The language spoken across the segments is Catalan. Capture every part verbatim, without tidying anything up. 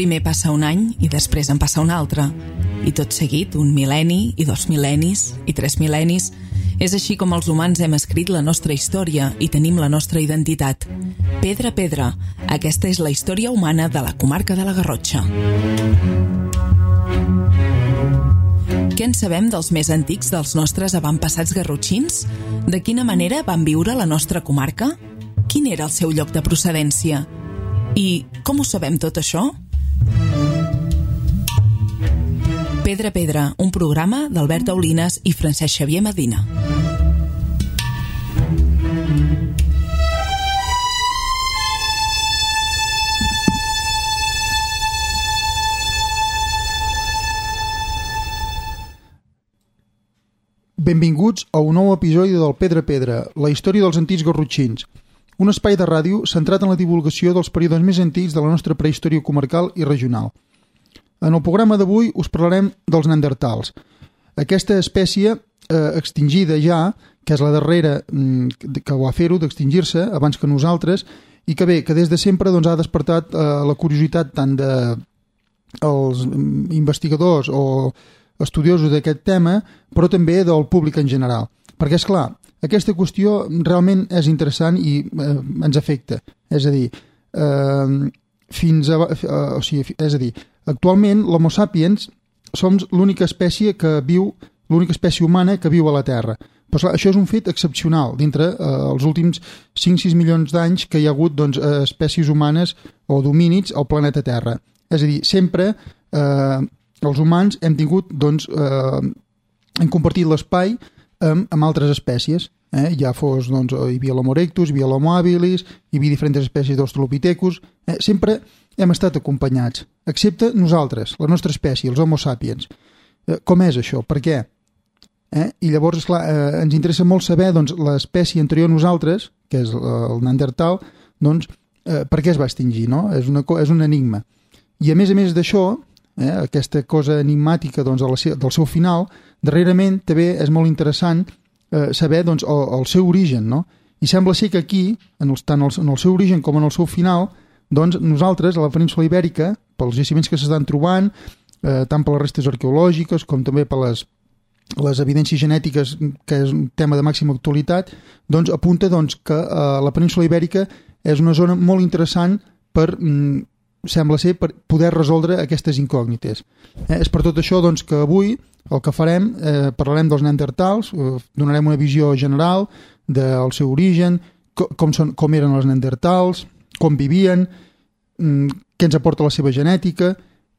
Primer passa un any i després en passa un altre. I tot seguit, un mil·lenni, i dos mil·lennis, i tres mil·lennis. És així com els humans hem escrit la nostra història i tenim la nostra identitat. Pedra a pedra, aquesta és la història humana de la comarca de la Garrotxa. Què en sabem dels més antics dels nostres avantpassats garrotxins? De quina manera van viure la nostra comarca? Quin era el seu lloc de procedència? I com ho sabem tot això? Pedra a pedra, un programa d'Albert Aulines i Francesc Xavier Medina. Benvinguts a un nou episodi del Pedra a pedra, la història dels antics garrotxins. Un espai de ràdio centrat en la divulgació dels períodes més antics de la nostra prehistòria comarcal i regional. En el programa d'avui us parlarem dels neandertals. Aquesta espècie eh, extingida ja, que és la darrera mm, que va fer-ho d'extingir-se abans que nosaltres, i que bé, que des de sempre doncs, ha despertat eh, la curiositat tant dels investigadors o estudiosos d'aquest tema, però també del públic en general. Perquè, és clar, aquesta qüestió realment és interessant i eh, ens afecta. És a dir, eh, fins a, eh, o sigui, és a dir, actualment l'Homo sapiens som l'única espècie que viu, l'única espècie humana que viu a la Terra. Però clar, això és un fet excepcional dintre eh, els últims cinc sis milions d'anys que hi ha hagut doncs, espècies humanes o domínids al planeta Terra. És a dir, sempre eh, els humans hem tingut, doncs, eh, hem compartit l'espai amb, amb altres espècies. Eh? Ja fos, doncs, hi havia l'Homo erectus, hi havia l'Homo habilis, hi havia diferents espècies d'Australopithecus. Eh? Sempre hem estat acompanyats, excepte nosaltres, la nostra espècie, els Homo sapiens. Eh, com és això? Per què? Eh? I llavors, esclar, eh, ens interessa molt saber doncs, l'espècie anterior a nosaltres, que és el neandertal, doncs, eh, per què es va extingir, no? És, una, és un enigma. I a més a més d'això, eh, aquesta cosa enigmàtica doncs, la, del seu final, darrerament també és molt interessant eh, saber doncs, el, el seu origen, no? I sembla ser que aquí, en el, tant el, en el seu origen com en el seu final, doncs nosaltres, a la península Ibèrica, pels jaciments que s'estan trobant, eh, tant per les restes arqueològiques com també per les, les evidències genètiques, que és un tema de màxima actualitat, doncs apunta doncs, que eh, la península Ibèrica és una zona molt interessant per, mm, sembla ser, per poder resoldre aquestes incògnites. Eh, és per tot això doncs, que avui el que farem, eh, parlarem dels neandertals, eh, donarem una visió general del seu origen, co com, són, com eren els neandertals, com vivien, què ens aporta la seva genètica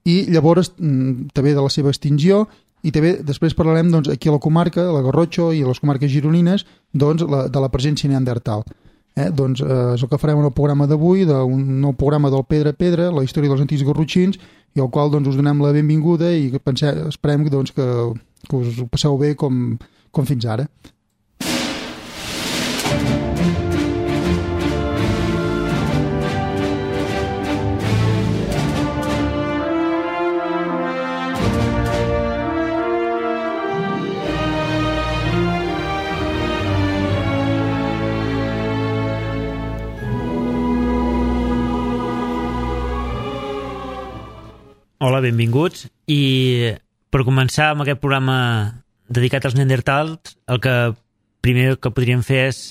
i llavors també de la seva extinció i també després parlarem doncs, aquí a la comarca, a la Garrotxa i a les comarques gironines doncs, la, de la presència neandertal. Eh? Doncs eh, és el que farem en el programa d'avui, d'un nou programa del Pedra a pedra, la història dels antics garrotxins, i al qual doncs, us donem la benvinguda i que pensem, esperem doncs, que, que us ho passeu bé com, com fins ara. Hola, benvinguts. I per començar amb aquest programa dedicat als neandertals, el que primer que podríem fer és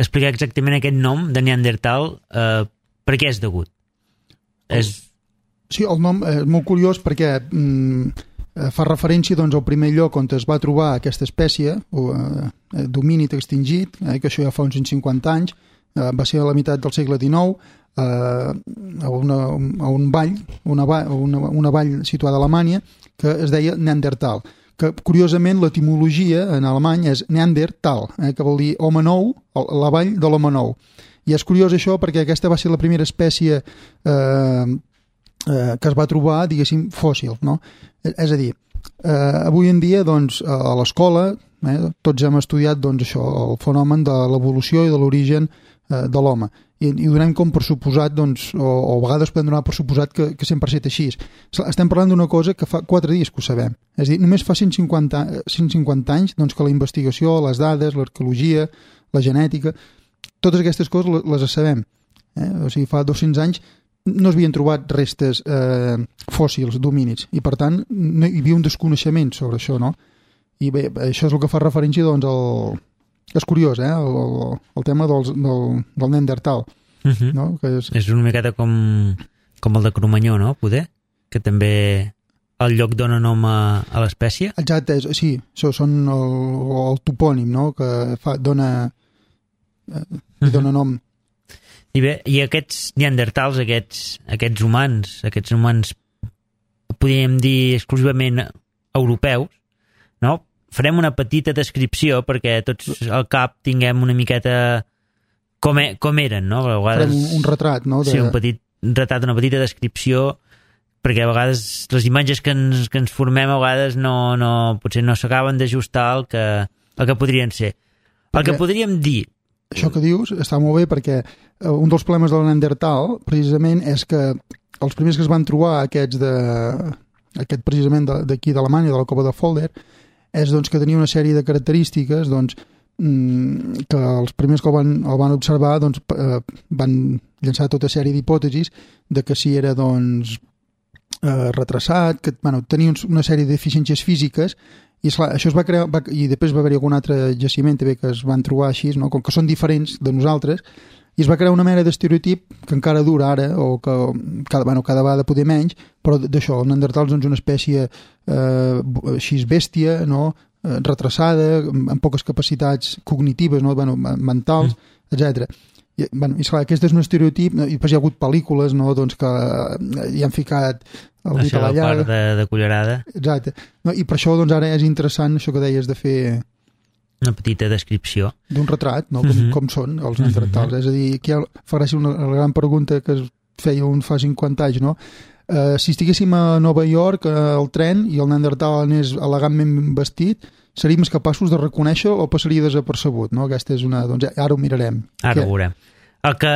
explicar exactament aquest nom de neandertal, eh, per què és degut. El, és... Sí, el nom és molt curiós perquè mm, fa referència doncs, al primer lloc on es va trobar aquesta espècie, o, eh, domínid extingit, eh, que això ja fa uns cent cinquanta anys, eh, va ser a la meitat del segle dinou, a una, a un vall, una, una, una vall situada a Alemanya que es deia Neandertal, que curiosament l'etimologia en alemany és Neandertal, eh, que vol dir home nou, la vall de l'home nou. I és curiós això perquè aquesta va ser la primera espècie eh, eh, que es va trobar, diguéssim, fòssil, no? És a dir, eh, avui en dia doncs, a l'escola eh, tots hem estudiat doncs, això, el fenomen de l'evolució i de l'origen eh, de l'home. I, i donem com per suposat, doncs, o, o a vegades podem donar per suposat que, que sempre ha estat així. Estem parlant d'una cosa que fa quatre dies que ho sabem. És a dir, només fa cent cinquanta, cent cinquanta anys doncs, que la investigació, les dades, l'arqueologia, la genètica, totes aquestes coses les sabem. Eh? O sigui, fa dos-cents anys no s'havien trobat restes eh, fòssils d'homínids i per tant no hi havia un desconeixement sobre això, no? I bé, això és el que fa referència doncs al... És curiós, eh? El, el, el tema dels, del, del Neandertal. Uh -huh. No? Que és... és una miqueta com, com el de Cromanyó, no? Poder? Que també el lloc dona nom a, a l'espècie. Exacte, és, sí, això són el, el topònim, no? Que fa, dona, eh, uh -huh. dona nom. I bé, i aquests neandertals, aquests, aquests humans, aquests humans, podríem dir exclusivament europeus, no? Farem una petita descripció perquè tots al cap tinguem una miqueta com, e, com eren, no? A vegades, farem un, un retrat, no? De... Sí, un petit retrat, una petita descripció, perquè a vegades les imatges que ens, que ens formem a vegades no, no, potser no s'acaben d'ajustar al que, al que podrien ser. El perquè... que podríem dir... Això que dius està molt bé perquè un dels problemes del Neandertal precisament és que els primers que es van trobar aquests de, aquest precisament d'aquí d'Alemanya, de la cova de Folder, és doncs, que tenia una sèrie de característiques doncs, que els primers que el van, el van observar doncs, van llançar tota sèrie d'hipòtesis de que si era doncs, eh, retrasat, que bueno, tenia una sèrie de deficiències físiques i esclar, això es va crear, va, i després va haver-hi algun altre jaciment també que es van trobar així, no? Com que són diferents de nosaltres, i es va crear una mena d'estereotip que encara dura ara, o que cada, bueno, cada vegada poder menys, però d'això, el Neandertal és doncs, una espècie eh, així bèstia, no? eh, retrasada, amb poques capacitats cognitives, no? bueno, mentals, mm. etcètera. I, bueno, i esclar, aquest és un estereotip, i després hi ha hagut pel·lícules no? doncs que hi han ficat el dit a la llaga. Això, la part de, de cullerada. Exacte. No? I per això doncs, ara és interessant això que deies de fer... Una petita descripció. D'un retrat, no? Com, uh-huh. com són els neandertals. Uh-huh. És a dir, aquí fa gràcia una la gran pregunta que es feia un fa cinquanta anys, no? Uh, si estiguéssim a Nova York al tren i el neandertal anés elegantment vestit, seríem capaços de reconèixer o passaria desapercebut, no? Aquesta és una... Doncs ara ho mirarem. Ara Què? ho veurem. El que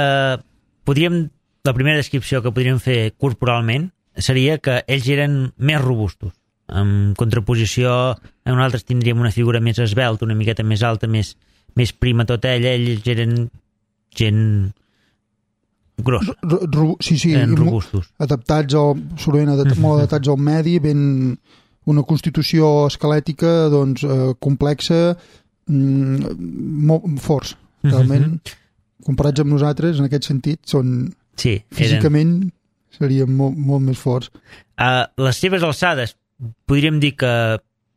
podríem... La primera descripció que podríem fer corporalment seria que ells eren més robustos. En contraposició a nosaltres tindríem una figura més esvelta, una miqueta més alta, més, més prima tota ella, ells eren gent grossa, R -r sí, sí, eren robustos, adaptats al, sovint adat molt adaptats al medi, ben una constitució esquelètica doncs, eh, complexa, mm, molt forts realment, comparats amb nosaltres en aquest sentit són sí, físicament eren... serien molt, molt més forts. Uh, les seves alçades podríem dir que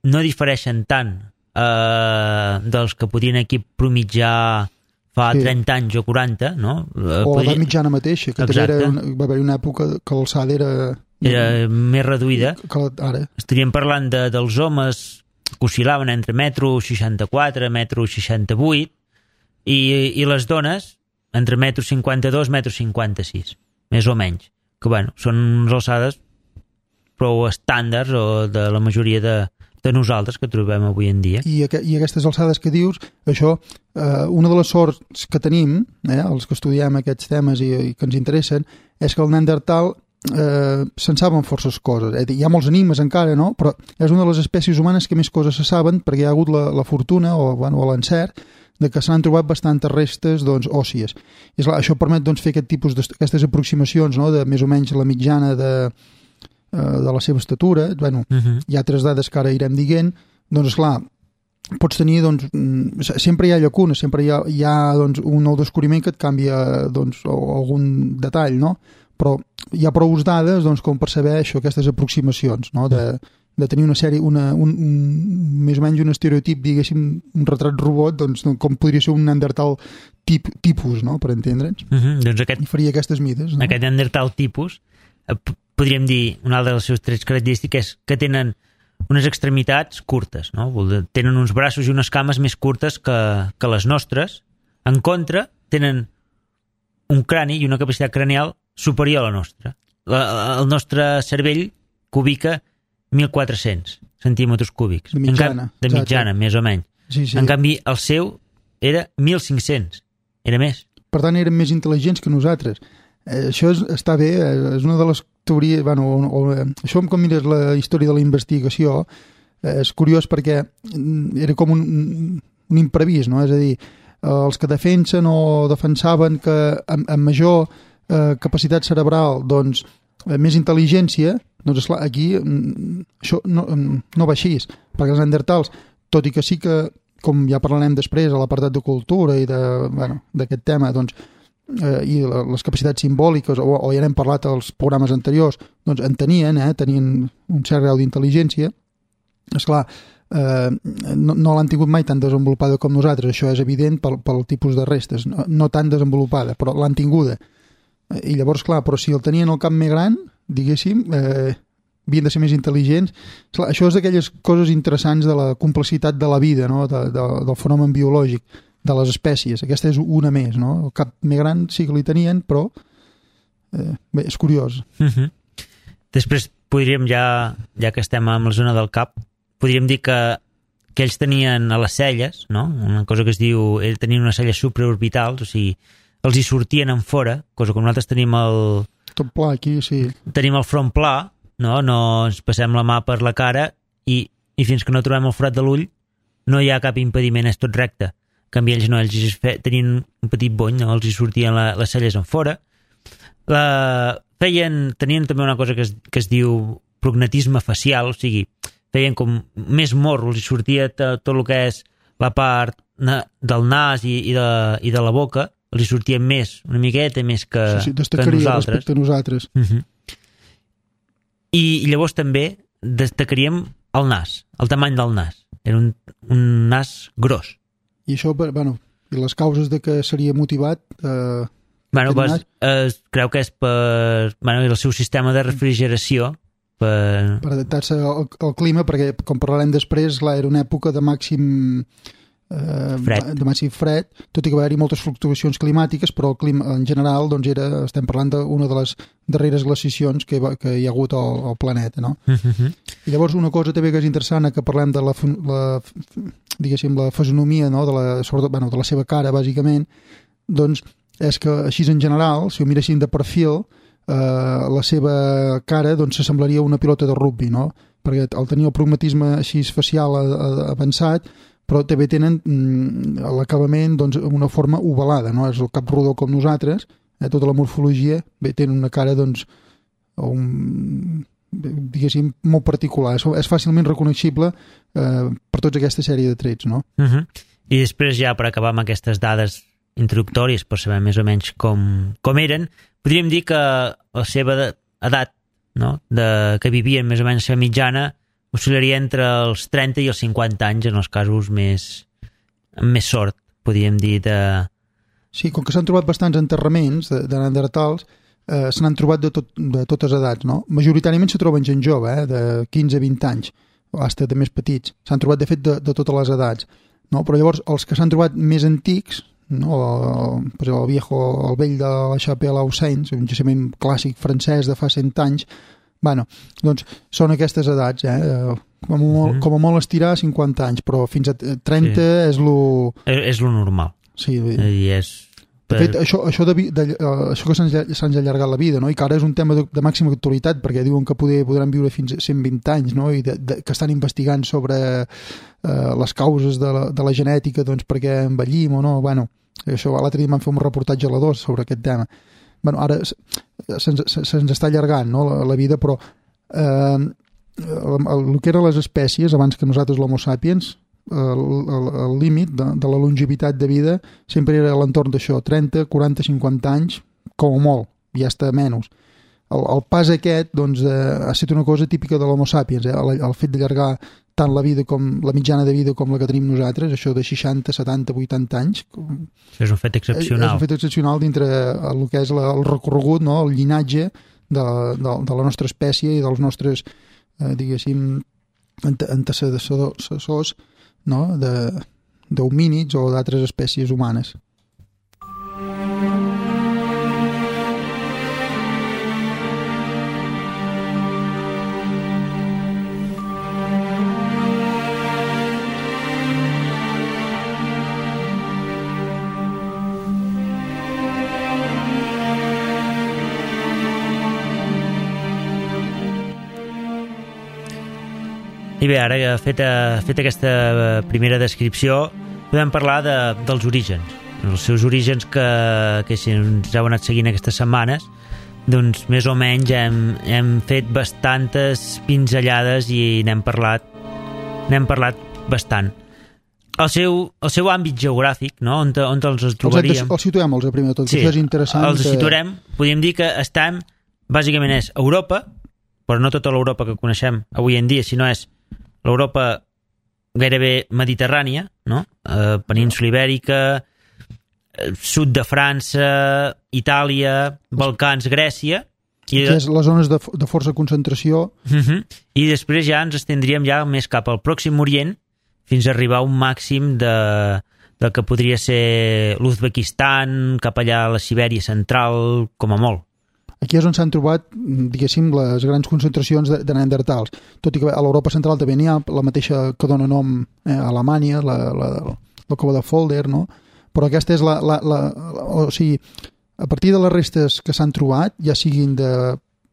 no difereixen tant eh, dels que podien aquí promitjar fa sí. trenta anys o quaranta, no? O Podria... la mitjana mateixa, que també era una, va haver una època que l'alçada era... Era més reduïda. Que ara. Estaríem parlant de, dels homes que oscil·laven entre metro seixanta-quatre, metro seixanta-vuit i, i les dones entre metro cinquanta-dos, metro cinquanta-sis, més o menys. Que, bueno, són unes alçades prou estàndards o de la majoria de, de nosaltres que trobem avui en dia. I, aqu I aquestes alçades que dius, això, eh, una de les sorts que tenim, eh, els que estudiem aquests temes i, i que ens interessen, és que el Neandertal eh, se'n saben forces coses. Eh? Hi ha molts enigmes encara, no? Però és una de les espècies humanes que més coses se saben perquè hi ha hagut la, la fortuna o, bueno, o l'encert de que s'han trobat bastantes restes doncs, òssies. I esclar, això permet doncs, fer aquest tipus d'aquestes aproximacions, no? De més o menys la mitjana de de la seva estatura, bueno, uh-huh. hi ha altres dades que ara irem dient, doncs esclar, pots tenir, doncs, sempre hi ha llacunes, sempre hi ha, hi ha doncs, un nou descobriment que et canvia doncs, algun detall, no? Però hi ha prou dades doncs, com per saber això, aquestes aproximacions, no? De, de tenir una sèrie, una, un, un, més o menys un estereotip, diguéssim, un retrat robot, doncs, com podria ser un Neandertal tip, tipus, no? Per entendre'ns. Uh-huh. Doncs aquest, I faria aquestes mides, no? Aquest Neandertal tipus podríem dir, una altra de les seves trets característiques és que tenen unes extremitats curtes, no? Tenen uns braços i unes cames més curtes que, que les nostres. En contra, tenen un crani i una capacitat cranial superior a la nostra. La, el nostre cervell cubica mil quatre-cents centímetres cúbics. De mitjana. De mitjana, més o menys. Sí, sí. En canvi, el seu era mil cinc-cents. Era més. Per tant, eren més intel·ligents que nosaltres. Eh, això és, està bé, és una de les teories... Bueno, o, o, això, com mires la història de la investigació, eh, és curiós perquè era com un, un imprevist, no? És a dir, els que defensen o defensaven que amb, amb major eh, capacitat cerebral, doncs, eh, més intel·ligència, doncs, esclar, aquí mm, això no, no va així, perquè els neandertals, tot i que sí que, com ja parlarem després a l'apartat de cultura i de, bueno, d'aquest tema, doncs, eh, i les capacitats simbòliques, o, o ja n'hem parlat als programes anteriors, doncs en tenien, eh, tenien un cert grau d'intel·ligència. Esclar, eh, no, no l'han tingut mai tan desenvolupada com nosaltres, això és evident pel, pel tipus de restes, no, no tan desenvolupada, però l'han tinguda. I llavors, clar, però si el tenien al cap més gran, diguéssim, eh, havien de ser més intel·ligents. Esclar, això és d'aquelles coses interessants de la complexitat de la vida, no? de, de, del fenomen biològic, de les espècies. Aquesta és una més, no? El cap més gran sí que li tenien, però eh, bé, és curiós. Uh-huh. Després podríem, ja, ja que estem en la zona del cap, podríem dir que, que ells tenien a les celles, no? Una cosa que es diu, ells tenien unes celles supraorbitals, o sigui, els hi sortien en fora, cosa que nosaltres tenim el... Tot pla aquí, sí. Tenim el front pla, no? No ens passem la mà per la cara i, i fins que no trobem el forat de l'ull no hi ha cap impediment, és tot recte. En canvi, ells no, ells fe, tenien un petit bony, no? Els hi sortien la, les celles en fora. La, feien, tenien també una cosa que es, que es diu prognatisme facial, o sigui, feien com més morro, els hi sortia tot, tot el que és la part na, del nas i, i, de, i de la boca, els hi sortia més, una miqueta més que, sí, sí, que nosaltres. Respecte a nosaltres. Uh-huh. I, I llavors també destacaríem el nas, el tamany del nas. Era un, un nas gros. I això, bueno, i les causes de que seria motivat... Eh, bueno, pues, es creu que és per bueno, el seu sistema de refrigeració per, per adaptar-se al, al clima, perquè, com parlarem després, clar, era una època de màxim... Eh, fred. de màxim fred, tot i que va haver-hi moltes fluctuacions climàtiques, però el clima en general doncs era, estem parlant d'una de les darreres glaciacions que, va, que hi ha hagut al, al planeta, no? Uh-huh. I llavors una cosa també que és interessant, que parlem de la, la diguéssim, la fisonomia, no? de, la, sobretot, bueno, de la seva cara, bàsicament, doncs és que així en general, si ho miréssim de perfil, eh, la seva cara doncs s'assemblaria a una pilota de rugby, no? Perquè al tenir el pragmatisme així facial avançat, però també tenen mm, l'acabament doncs, una forma ovalada, no? És el cap rodó com nosaltres, eh? Tota la morfologia, bé, tenen una cara doncs, un, diguéssim, molt particular, és, és fàcilment reconeixible eh, per tota aquesta sèrie de trets, no? Uh-huh. I després ja per acabar amb aquestes dades introductòries per saber més o menys com, com eren, podríem dir que la seva edat, no? de, que vivien més o menys la mitjana, oscil·laria entre els trenta i els cinquanta anys en els casos més amb més sort, podríem dir, de... Sí, com que s'han trobat bastants enterraments de, de neandertals, eh, se n'han trobat de, tot, de totes edats, no? Majoritàriament se troben gent jove, eh, de quinze a vint anys, o fins de més petits. S'han trobat, de fet, de, de totes les edats. No? Però llavors, els que s'han trobat més antics, no? el, el viejo, el vell de la Chapelle aux Saints, un jaciment clàssic francès de fa cent anys, bueno, doncs són aquestes edats, eh? Com a molt, mm-hmm. com a molt estirar cinquanta anys, però fins a trenta sí. és lo... És, és lo normal. Sí. I és... De fet, això, això, de, de, uh, això que s'han allargat la vida, no? I que ara és un tema de, de màxima actualitat, perquè diuen que poder, podran viure fins a cent vint anys, no? I de, de, que estan investigant sobre uh, les causes de la, de la genètica, doncs perquè envellim o no, bueno, això l'altre dia vam fer un reportatge a la dos sobre aquest tema. Bueno, ara se'ns se, se està allargant, no? la, la vida, però eh, el, el que eren les espècies, abans que nosaltres l'Homo sapiens, el, el, el límit de, de la longevitat de vida sempre era a l'entorn d'això, trenta, quaranta, cinquanta anys, com a molt, i ja està menys. El, el pas aquest doncs, eh, ha estat una cosa típica de l'Homo sapiens, eh? el, el fet d'allargar tant la vida com la mitjana de vida com la que tenim nosaltres, això de seixanta, setanta, vuitanta anys. És un fet excepcional. És un fet excepcional dintre el que és la, el recorregut, no? El llinatge de, de, de la nostra espècie i dels nostres, eh, diguéssim, antecessors, no? d'homínids o d'altres espècies humanes. I bé, ara feta, feta aquesta primera descripció, podem parlar de, dels orígens. els seus orígens que, que si ens heu anat seguint aquestes setmanes, doncs més o menys hem, hem fet bastantes pinzellades i n'hem parlat n'hem parlat bastant. El seu, el seu àmbit geogràfic, no? on, on els trobaríem. Els situem, els primer de tot, sí, això és interessant. Els situarem, podríem dir que estem, bàsicament és Europa, però no tota l'Europa que coneixem avui en dia, sinó és l'Europa gairebé mediterrània, no? Eh, península Ibèrica, sud de França, Itàlia, Balcans, Grècia... I que és les zones de, de força concentració. Uh-huh. I després ja ens estendríem ja més cap al Pròxim Orient fins a arribar a un màxim de, del que podria ser l'Uzbekistan, cap allà a la Sibèria central, com a molt. Aquí és on s'han trobat, diguéssim, les grans concentracions de, de neandertals. Tot i que a l'Europa central també n'hi ha, la mateixa que dona nom eh, a Alemanya, la, la, la cova de Folder, no? Però aquesta és la, la, la, la... O sigui, a partir de les restes que s'han trobat, ja siguin de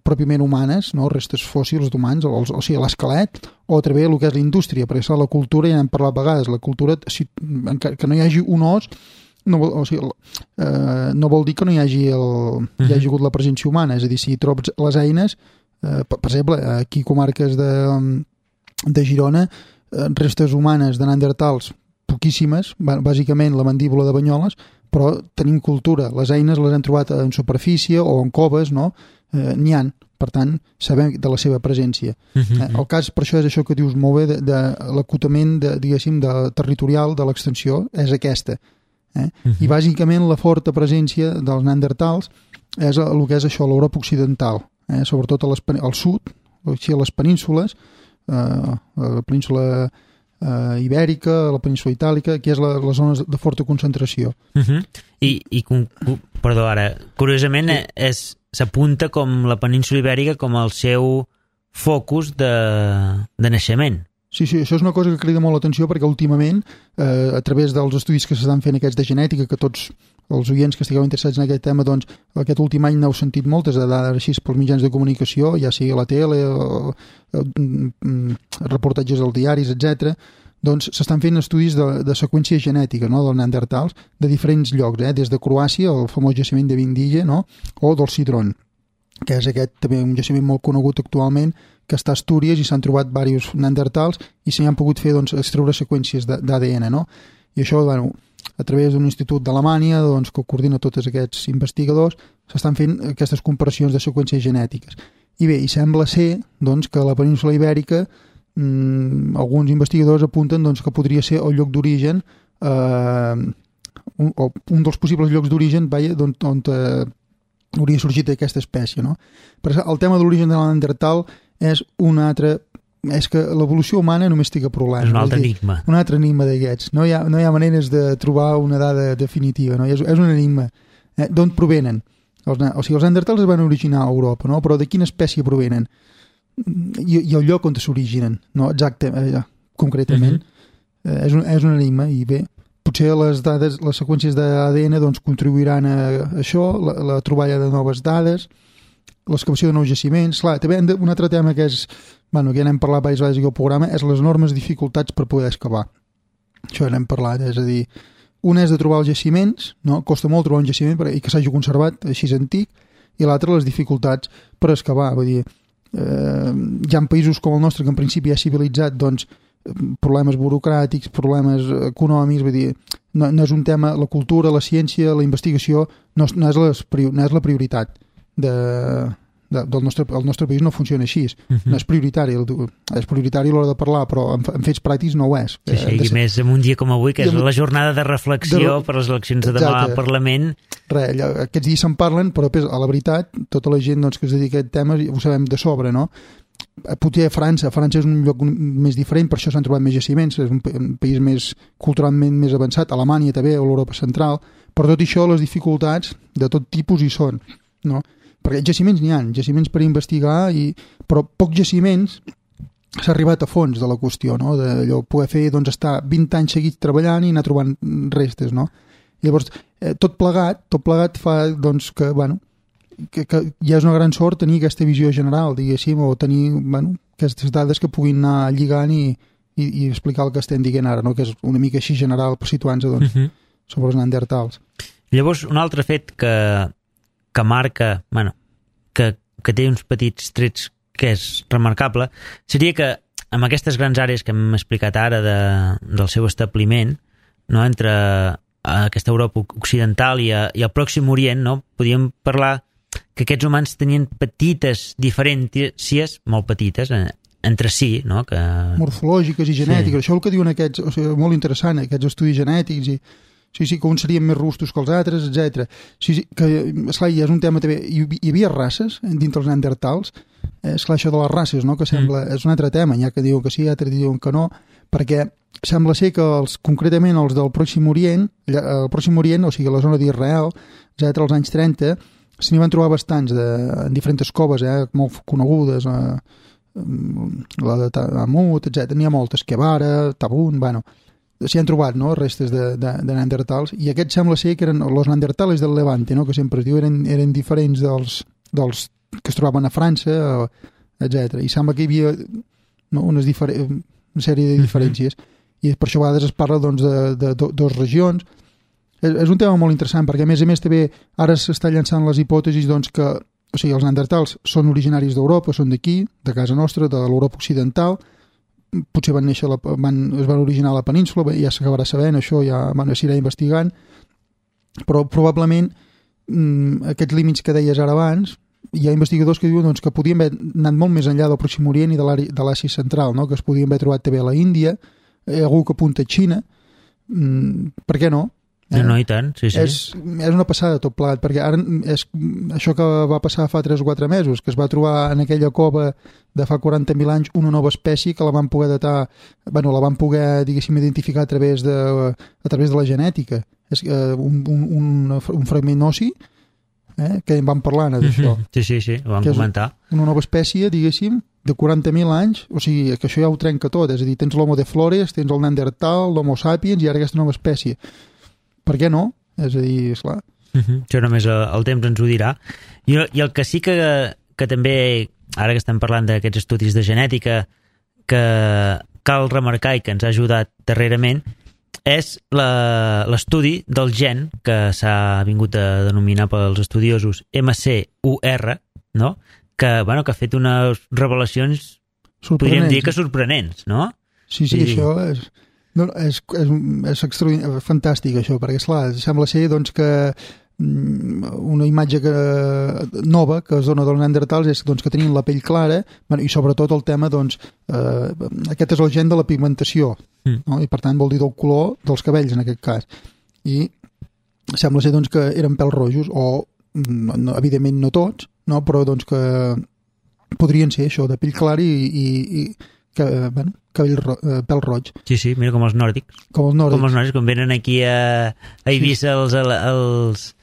pròpiament humanes, no? Restes fòssils d'humans, o, o sigui, l'esquelet, o a través del que és la indústria, perquè la cultura, ja n'hem parlat a vegades, la cultura, si, que no hi hagi un os, no, o sigui, eh, no vol dir que no hi hagi, el, hi hagi hagut la presència humana, és a dir, si trobes les eines, eh, per, per exemple, aquí comarques de, de Girona, eh, restes humanes de neandertals, poquíssimes, bàsicament la mandíbula de Banyoles, però tenim cultura. Les eines les hem trobat en superfície o en coves, no? Eh, n'hi han. Per tant, sabem de la seva presència. Uh-huh. Eh, el cas, per això, és això que dius molt bé, de, de l'acotament, de, diguéssim, de, territorial de l'extensió, és aquesta. Eh? Uh-huh. I, bàsicament, la forta presència dels neandertals és el que és això, l'Europa occidental, eh? Sobretot a les, al sud, o sigui, a les penínsules, eh, a la península Uh, ibèrica, la península itàlica, que és la, les zones de forta concentració. Uh-huh. I, i perdó, ara, curiosament sí. és, s'apunta com la península ibèrica com el seu focus de, de naixement. Sí, sí, això és una cosa que crida molt l'atenció perquè últimament, eh, a través dels estudis que s'estan fent aquests de genètica, que tots els oients que estigueu interessats en aquest tema, doncs aquest últim any n'heu sentit moltes de dades així pels mitjans de comunicació, ja sigui a la tele, o, o, o reportatges als diaris, etcètera. Doncs s'estan fent estudis de, de seqüència genètica, no?, dels neandertals de diferents llocs, eh? Des de Croàcia, el famós jaciment de Vindilla, no?, o del Sidron, que és aquest també un jaciment molt conegut actualment, que està a Astúries i s'han trobat diversos neandertals i s'hi han pogut fer, doncs, extreure seqüències d'A D N, no? I això, bueno, a través d'un institut d'Alemanya, doncs, que coordina tots aquests investigadors, s'estan fent aquestes comparacions de seqüències genètiques. I bé, i sembla ser, doncs, que la península ibèrica, mmm, alguns investigadors apunten, doncs, que podria ser el lloc d'origen, eh, un, o un dels possibles llocs d'origen, vaja, on, on eh, hauria sorgit aquesta espècie, no? Però el tema de l'origen de la Neandertal és un altre... És que l'evolució humana només té problemes. És un altre enigma. Un altre enigma d'aquests. No hi ha, no hi ha maneres de trobar una dada definitiva, no? És, és un enigma. Eh, d'on provenen? Els, o sigui, els neandertals es van originar a Europa, no? Però de quina espècie provenen? I, i el lloc on s'originen, no? Exacte, eh, concretament. Uh-huh. eh, és, un, és un enigma i bé, potser les dades, les seqüències d'A D N doncs, contribuiran a això, la, la troballa de noves dades, l'excavació de nous jaciments. Clar, també un altre tema que és, bueno, que ja n'hem parlat diverses vegades aquí al programa, és les enormes dificultats per poder excavar. Això ja n'hem parlat, és a dir, una és de trobar els jaciments, no? Costa molt trobar un jaciment i que s'hagi conservat així antic, i l'altra les dificultats per excavar. Vull dir, eh, hi ha països com el nostre que en principi ja civilitzat, doncs, problemes burocràtics, problemes econòmics, vull dir, no, no és un tema, la cultura, la ciència, la investigació, no, no, és, les, no és la prioritat de, de, del nostre, el nostre país no funciona així, uh-huh. No és prioritari, és prioritari a l'hora de parlar, però en, en fets pràctics no ho és. Sí, sí, i més en un dia com avui, que és la jornada de reflexió de, per les eleccions de demà al Parlament. Res, aquests dies se'n parlen, però a la veritat, tota la gent doncs, que es dedica a aquest tema ho sabem de sobre, no? Potser a França, França és un lloc més diferent, per això s'han trobat més jaciments, és un, un país més culturalment més avançat, Alemanya també, o l'Europa central, però tot això, les dificultats de tot tipus hi són, no? Perquè jaciments n'hi ha, jaciments per investigar, i, però pocs jaciments s'ha arribat a fons de la qüestió, no? D'allò, poder fer, doncs, estar vint anys seguits treballant i anar trobant restes, no? Llavors, eh, tot plegat, tot plegat fa, doncs, que, bueno, que, que ja és una gran sort tenir aquesta visió general, diguéssim, o tenir, bueno, aquestes dades que puguin anar lligant i, i, i explicar el que estem dient ara, no? Que és una mica així general per situar-nos, doncs, uh-huh. sobre els neandertals. Llavors, un altre fet que, que marca, bueno, que, que té uns petits trets que és remarcable, seria que amb aquestes grans àrees que hem explicat ara de, del seu establiment, no, entre aquesta Europa occidental i, a, i el Pròxim Orient, no, podíem parlar que aquests humans tenien petites diferències, molt petites, eh, entre si, no? Que... morfològiques i genètiques, sí. Això és el que diuen aquests, o sigui, molt interessant, aquests estudis genètics, i sí, sí, que uns serien més robustos que els altres, etcètera. Sí, sí, que, esclar, hi és un tema també, hi, hi havia races dintre els neandertals, eh, esclar, això de les races, no?, que sembla, mm. és un altre tema, ja que diuen que sí, altres diuen que no, perquè sembla ser que els, concretament els del Pròxim Orient, el Pròxim Orient, o sigui, la zona d'Israel, etcètera, als anys trenta, se n'hi van trobar bastants de, en diferents coves, eh, molt conegudes, eh, la de Tamut, etcètera. N'hi ha moltes, Kevara, Tabun, bueno, s'hi han trobat, no?, restes de, de, de neandertals, i aquests sembla ser que eren els neandertals del Levante, no?, que sempre es diu, eren, eren diferents dels, dels que es trobaven a França, etcètera. I sembla que hi havia, no?, unes diferents, una sèrie de diferències, i per això a vegades es parla, doncs, de, de, de dues regions. És, és un tema molt interessant, perquè a més a més també ara s'està llançant les hipòtesis, doncs, que, o sigui, els neandertals són originaris d'Europa, són d'aquí, de casa nostra, de l'Europa occidental, potser van néixer, la, van, es van originar a la península, ja s'acabarà sabent, això ja bueno, s'irà investigant, però probablement mmm, aquests límits que deies ara abans, hi ha investigadors que diuen, doncs, que podien haver anat molt més enllà del Pròxim Orient i de l'Àsia Central, no?, que es podien haver trobat també a la Índia, eh, algú que apunta a Xina, mm, per què no? Eh? No, no, i tant, sí, sí. És, és una passada tot plegat, perquè ara és això que va passar fa tres o quatre mesos, que es va trobar en aquella cova de fa quaranta mil anys una nova espècie que la van poder datar, bueno, la van poder, diguéssim, identificar a través de, a través de la genètica. És eh, un, un, un, un fragment ossi, eh, que en vam parlar d'això. Sí, sí, sí, ho vam comentar. Una nova espècie, diguéssim, de quaranta mil anys, o sigui, que això ja ho trenca tot, és a dir, tens l'Homo de Flores, tens el Neandertal, l'Homo sapiens i ara aquesta nova espècie. Per què no? És a dir, esclar. Uh -huh. Això només el, el temps ens ho dirà. I, I el que sí que, que també, ara que estem parlant d'aquests estudis de genètica, que cal remarcar i que ens ha ajudat darrerament, és l'estudi del gen, que s'ha vingut a denominar pels estudiosos M C U R, no?, que, bueno, que ha fet unes revelacions, podríem dir que sorprenents, no? Sí, sí, I... això és... No, és, és, és extraordinari, fantàstic això, perquè esclar, sembla ser doncs, que una imatge que, nova que es dona dels neandertals és doncs, que tenien la pell clara, bueno, i sobretot el tema, doncs, eh, aquest és el gen de la pigmentació, mm. no? I per tant vol dir del color dels cabells en aquest cas, i sembla ser doncs, que eren pèls rojos, o no, evidentment no tots, no? Però doncs, que podrien ser això, de pell clara i, i, i que, bueno, cabell ro eh, pèl roig. Sí, sí, mira com els nòrdics. Com els nòrdics. Com els nòrdics, quan venen aquí a, a Eivissa els, els,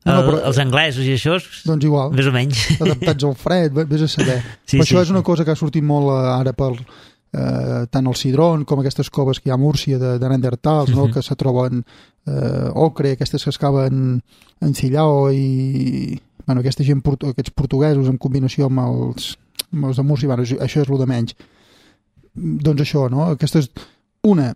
no, no, però, els anglesos i això, doncs igual, més o menys. Adaptats al fred, vés a saber. Sí, però sí, això és una cosa que ha sortit molt ara per eh, tant el Sidron com aquestes coves que hi ha a Múrcia de, de neandertals, no? Uh -huh. Que se troben eh, ocre, aquestes que es caven en Cillao i bueno, aquesta gent, aquests portuguesos en combinació amb els, amb els de Múrcia, bueno, això és el de menys. Doncs això, no? Aquesta és una,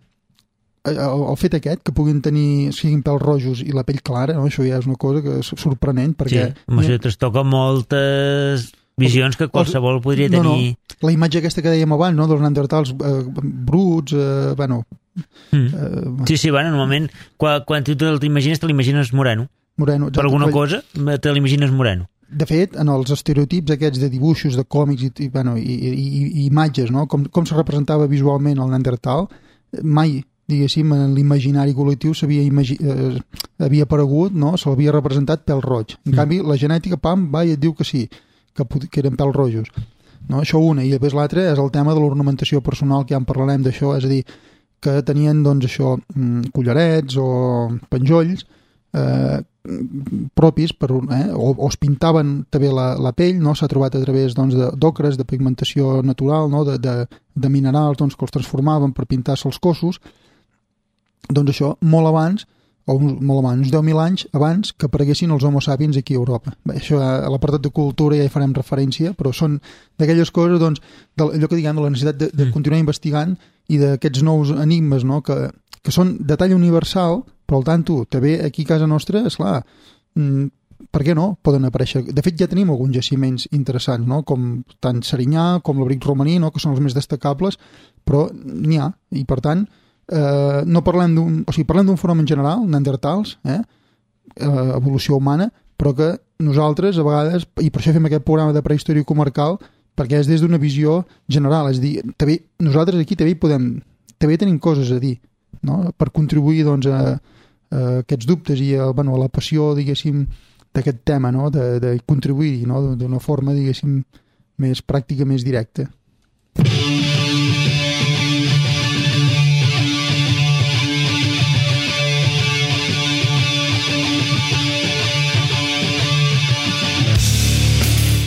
el, el fet aquest, que puguin tenir, siguin pèls rojos i la pell clara, no? Això ja és una cosa que és sorprenent, perquè... Sí, amb això trastoca moltes visions que qualsevol podria tenir... No, no. La imatge aquesta que dèiem abans, no? Dels neandertals eh, bruts, eh, bueno... Mm. Eh, sí, sí, bueno, normalment, quan, quan tu t'imagines, te l'imagines moreno. Moreno. Per alguna cosa, te l'imagines moreno. De fet, en els estereotips aquests de dibuixos, de còmics i, i, bueno, i, i, i imatges, no? com, com se representava visualment el neandertal, mai, diguéssim, en l'imaginari col·lectiu s'havia imagi eh, havia aparegut, no? Se l'havia representat pèl roig. En mm. canvi, la genètica, pam, va i et diu que sí, que, que eren pèls rojos. No? Això una. I després l'altra és el tema de l'ornamentació personal, que ja en parlarem d'això, és a dir, que tenien, doncs, això, collarets o penjolls, eh, propis per, eh, o, o es pintaven també la, la pell, no? S'ha trobat a través doncs, d'ocres, de, de pigmentació natural, no? de, de, de minerals doncs, que els transformaven per pintar-se els cossos. Doncs això, molt abans, o molt abans, uns deu mil anys abans que apareguessin els homo sapiens aquí a Europa. Bé, això a l'apartat de cultura ja hi farem referència, però són d'aquelles coses, doncs, de, allò que diguem, de la necessitat de, de continuar investigant i d'aquests nous enigmes, no? que, que són de talla universal, però al tanto, també aquí a casa nostra, esclar, mm, per què no? Poden aparèixer. De fet, ja tenim alguns jaciments interessants, no? Com tant Serinyà com l'Abric Romaní, no? Que són els més destacables, però n'hi ha. I, per tant, eh, no parlem d'un... O sigui, parlem d'un fenomen general, neandertals, eh? eh? evolució humana, però que nosaltres, a vegades, i per això fem aquest programa de prehistòria comarcal, perquè és des d'una visió general. És a dir, també, nosaltres aquí també podem... També tenim coses a dir, no? Per contribuir, doncs, a, a aquests dubtes i a, bueno, a la passió, diguéssim, d'aquest tema, no? de, de contribuir-hi, no? D'una forma, diguéssim, més pràctica, més directa.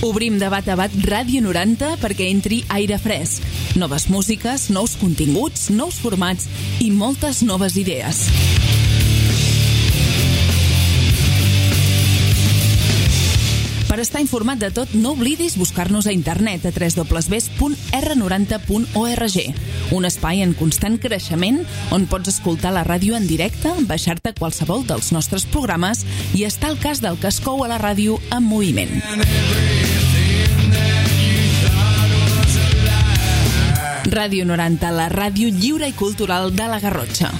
Obrim Debat a Bat Ràdio noranta perquè entri aire fresc, noves músiques, nous continguts, nous formats i moltes noves idees. Per estar informat de tot, no oblidis buscar-nos a internet a w w w punt r noranta punt org, un espai en constant creixement on pots escoltar la ràdio en directe, baixar-te qualsevol dels nostres programes i estar al cas del que es cou a la ràdio en moviment. Ràdio noranta, la ràdio lliure i cultural de la Garrotxa.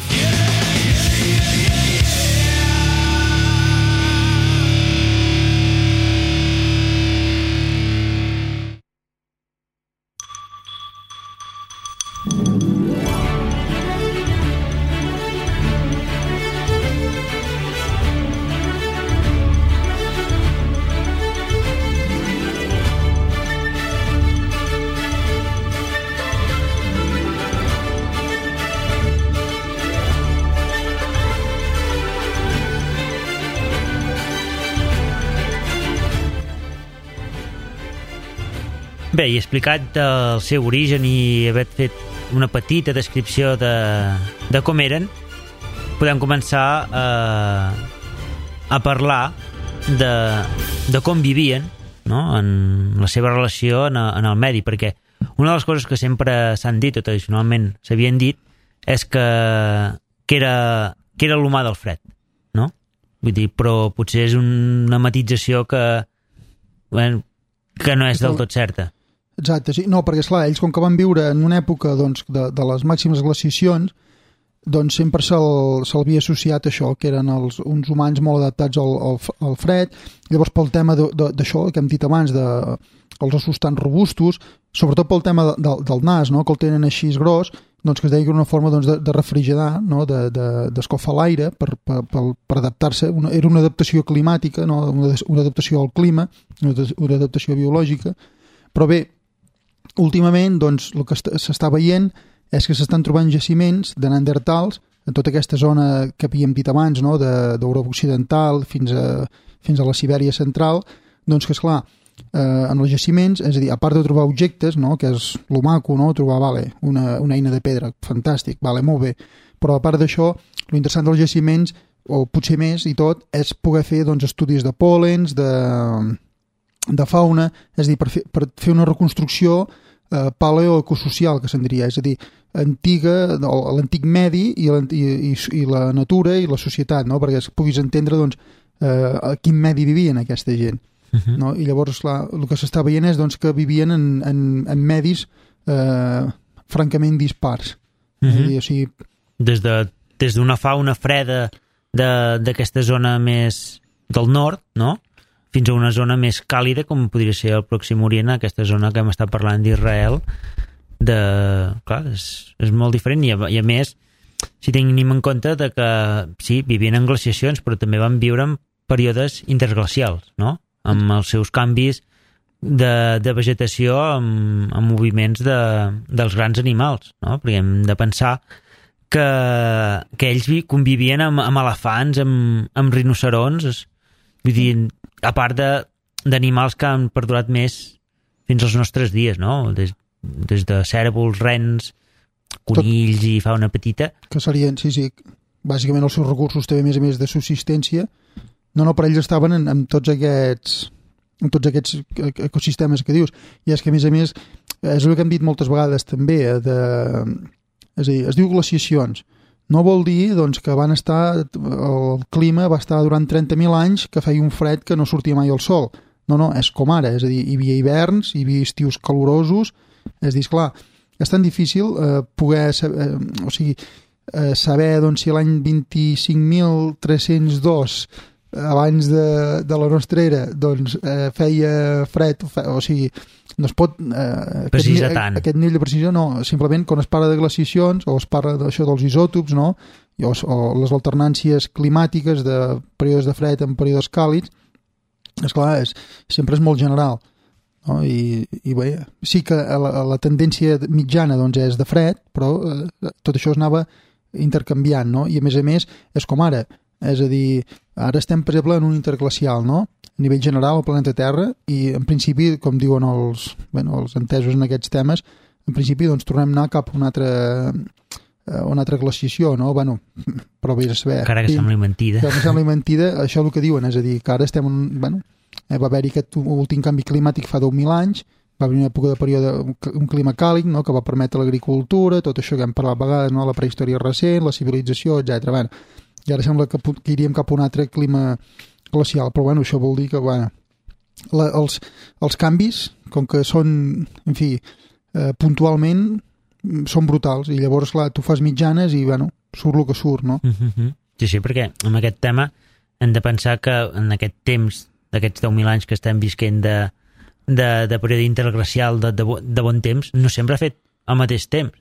Bé, i explicat el seu origen i haver fet una petita descripció de, de com eren, podem començar a, a parlar de, de com vivien, no? En la seva relació en, en el medi, perquè una de les coses que sempre s'han dit o tradicionalment s'havien dit és que, que era, que era l'humà del fred, no? Vull dir, però potser és una matització que, bueno, que no és del tot certa. Exacte, sí. No, perquè esclar, ells com que van viure en una època doncs, de, de les màximes glaciacions, doncs sempre se'l, se'l associat a això, que eren els, uns humans molt adaptats al, al, al fred. Llavors pel tema d'això que hem dit abans, de, els ossos tan robustos, sobretot pel tema de, de, del nas, no? Que el tenen així gros, doncs que es deia que era una forma doncs, de, de refrigerar, no? d'escalfar de, de, l'aire per, per, per, per adaptar-se. Una, era una adaptació climàtica, no? una, una adaptació al clima, una, una adaptació biològica. Però bé, últimament, doncs, el que s'està veient és que s'estan trobant jaciments de neandertals en tota aquesta zona que havíem dit abans, no? d'Europa Occidental fins a, fins a la Sibèria central, doncs que, esclar, eh, en els jaciments, és a dir, a part de trobar objectes, no? Que és lo maco, no? Trobar, vale, una, una eina de pedra, fantàstic, vale, molt bé, però a part d'això, lo interessant dels jaciments, o potser més i tot, és poder fer doncs, estudis de pòlens, de, de fauna, és a dir, per fer, per fer una reconstrucció Uh, paleoecosocial, que se'n diria, és a dir, antiga, l'antic medi i la, i, i la natura i la societat, no? Perquè es puguis entendre doncs, uh, a quin medi vivien aquesta gent. Uh-huh. No? I llavors, clar, el que s'està veient és doncs, que vivien en, en, en medis uh, francament dispars. Uh-huh. És a dir, o sigui... Des de, des d'una fauna freda d'aquesta zona més del nord, no?, fins a una zona més càlida, com podria ser el Pròxim Orient, aquesta zona que hem estat parlant d'Israel, de... clar, és, és molt diferent, i a, i a més, si tenim en compte de que, sí, vivien en glaciacions, però també van viure en períodes interglacials, no?, amb els seus canvis de, de vegetació, amb, amb moviments de, dels grans animals, no?, perquè hem de pensar que, que ells convivien amb, amb elefants, amb, amb rinocerons, vull dir, a part d'animals que han perdurat més fins als nostres dies, no? Des, des de cérvols, rens, conills Tot, i fauna petita. Que serien, sí, sí, bàsicament els seus recursos també més a més de subsistència. No, no, per ells estaven en, en tots aquests en tots aquests ecosistemes que dius. I és que, a més a més, és el que hem dit moltes vegades també, de, és a dir, es diu glaciacions, no vol dir doncs, que van estar, el clima va estar durant trenta mil anys que feia un fred que no sortia mai el sol. No, no, és com ara, és a dir, hi havia hiverns, hi havia estius calorosos, és a dir, esclar, és tan difícil eh, poder saber, eh, o sigui, eh, saber doncs, si l'any vint-i-cinc mil tres-cents dos abans de, de la nostra era doncs, eh, feia fred, o, fe, o sigui, no es pot eh, precisar aquest, tant. Aquest nivell de precisió no, simplement quan es parla de glaciacions o es parla d'això dels isòtops, no? I, o, o les alternàncies climàtiques de períodes de fred en períodes càlids, esclar, és, sempre és molt general, no? I, i bé, sí que la, la tendència mitjana doncs, és de fred, però eh, tot això es anava intercanviant, no? I a més a més és com ara, és a dir, ara estem per exemple en un interglacial, no? A nivell general al planeta Terra, i en principi, com diuen els, bueno, els entesos en aquests temes, en principi doncs tornem a anar cap a una altra, a una altra glaciació, no? Bueno, però vés a saber. Encara que sembli mentida. Que sembli mentida, això és el que diuen, és a dir, que ara estem en, bueno, eh, va haver-hi aquest últim canvi climàtic fa deu mil anys, va haver una època de període, un clima càlid, no? Que va permetre l'agricultura, tot això que hem parlat a vegades, no? La prehistòria recent, la civilització, etcètera. Bueno, i ara sembla que, que iríem cap a un altre clima glacial, però bueno, això vol dir que bueno, la, els, els canvis, com que són, en fi, eh, puntualment són brutals, i llavors, clar, tu fas mitjanes i, bueno, surt el que surt, no? Mm-hmm. Sí, sí, perquè amb aquest tema hem de pensar que en aquest temps, d'aquests deu mil anys que estem visquent de, de, de període interglacial de, de, de bon temps, no sempre ha fet al mateix temps.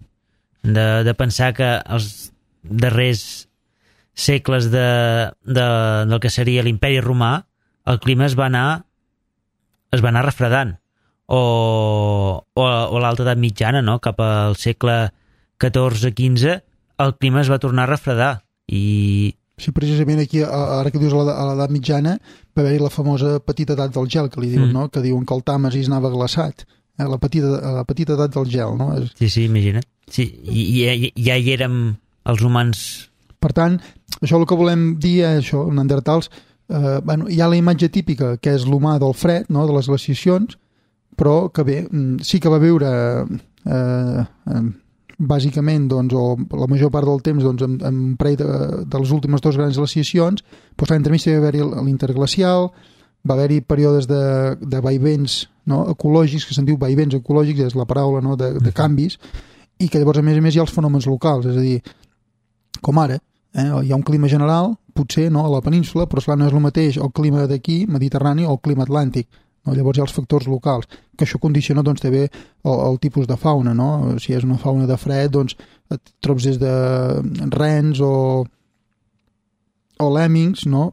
De, de pensar que els darrers segles de, de, del que seria l'imperi romà, el clima es va anar es va anar refredant, o, o, o l'alta edat mitjana, no? Cap al segle catorze quinze el clima es va tornar a refredar i... Sí, precisament aquí, ara que dius a l'edat mitjana, va haver-hi la famosa petita edat del gel, que li diuen, mm. no? Que diuen que el Tàmesis anava glaçat, eh? la, petita, la petita edat del gel, no? Sí, sí, imagina't. Sí, i, i, ja hi érem els humans. Per tant, això el que volem dir és això, neandertals, eh, bueno, hi ha la imatge típica, que és l'humà del fred, no? De les glaciacions, però que bé, sí que va viure eh, eh, bàsicament, doncs, o la major part del temps doncs, en, en parell de, de les últimes dues grans glaciacions, doncs entremig va haver-hi l'interglacial, va haver-hi períodes de, de vaivents, no? Ecològics, que se'n diu vaivents ecològics, és la paraula, no? de, de canvis, i que llavors a més a més hi ha els fenòmens locals, és a dir, com ara, eh? Hi ha un clima general, potser no, a la península, però esclar, no és el mateix el clima d'aquí, mediterrani, o el clima atlàntic. No? Llavors hi ha els factors locals, que això condiciona doncs, també el, el tipus de fauna, no? Si és una fauna de fred, doncs et trobes des de rens o, o lèmmings, no?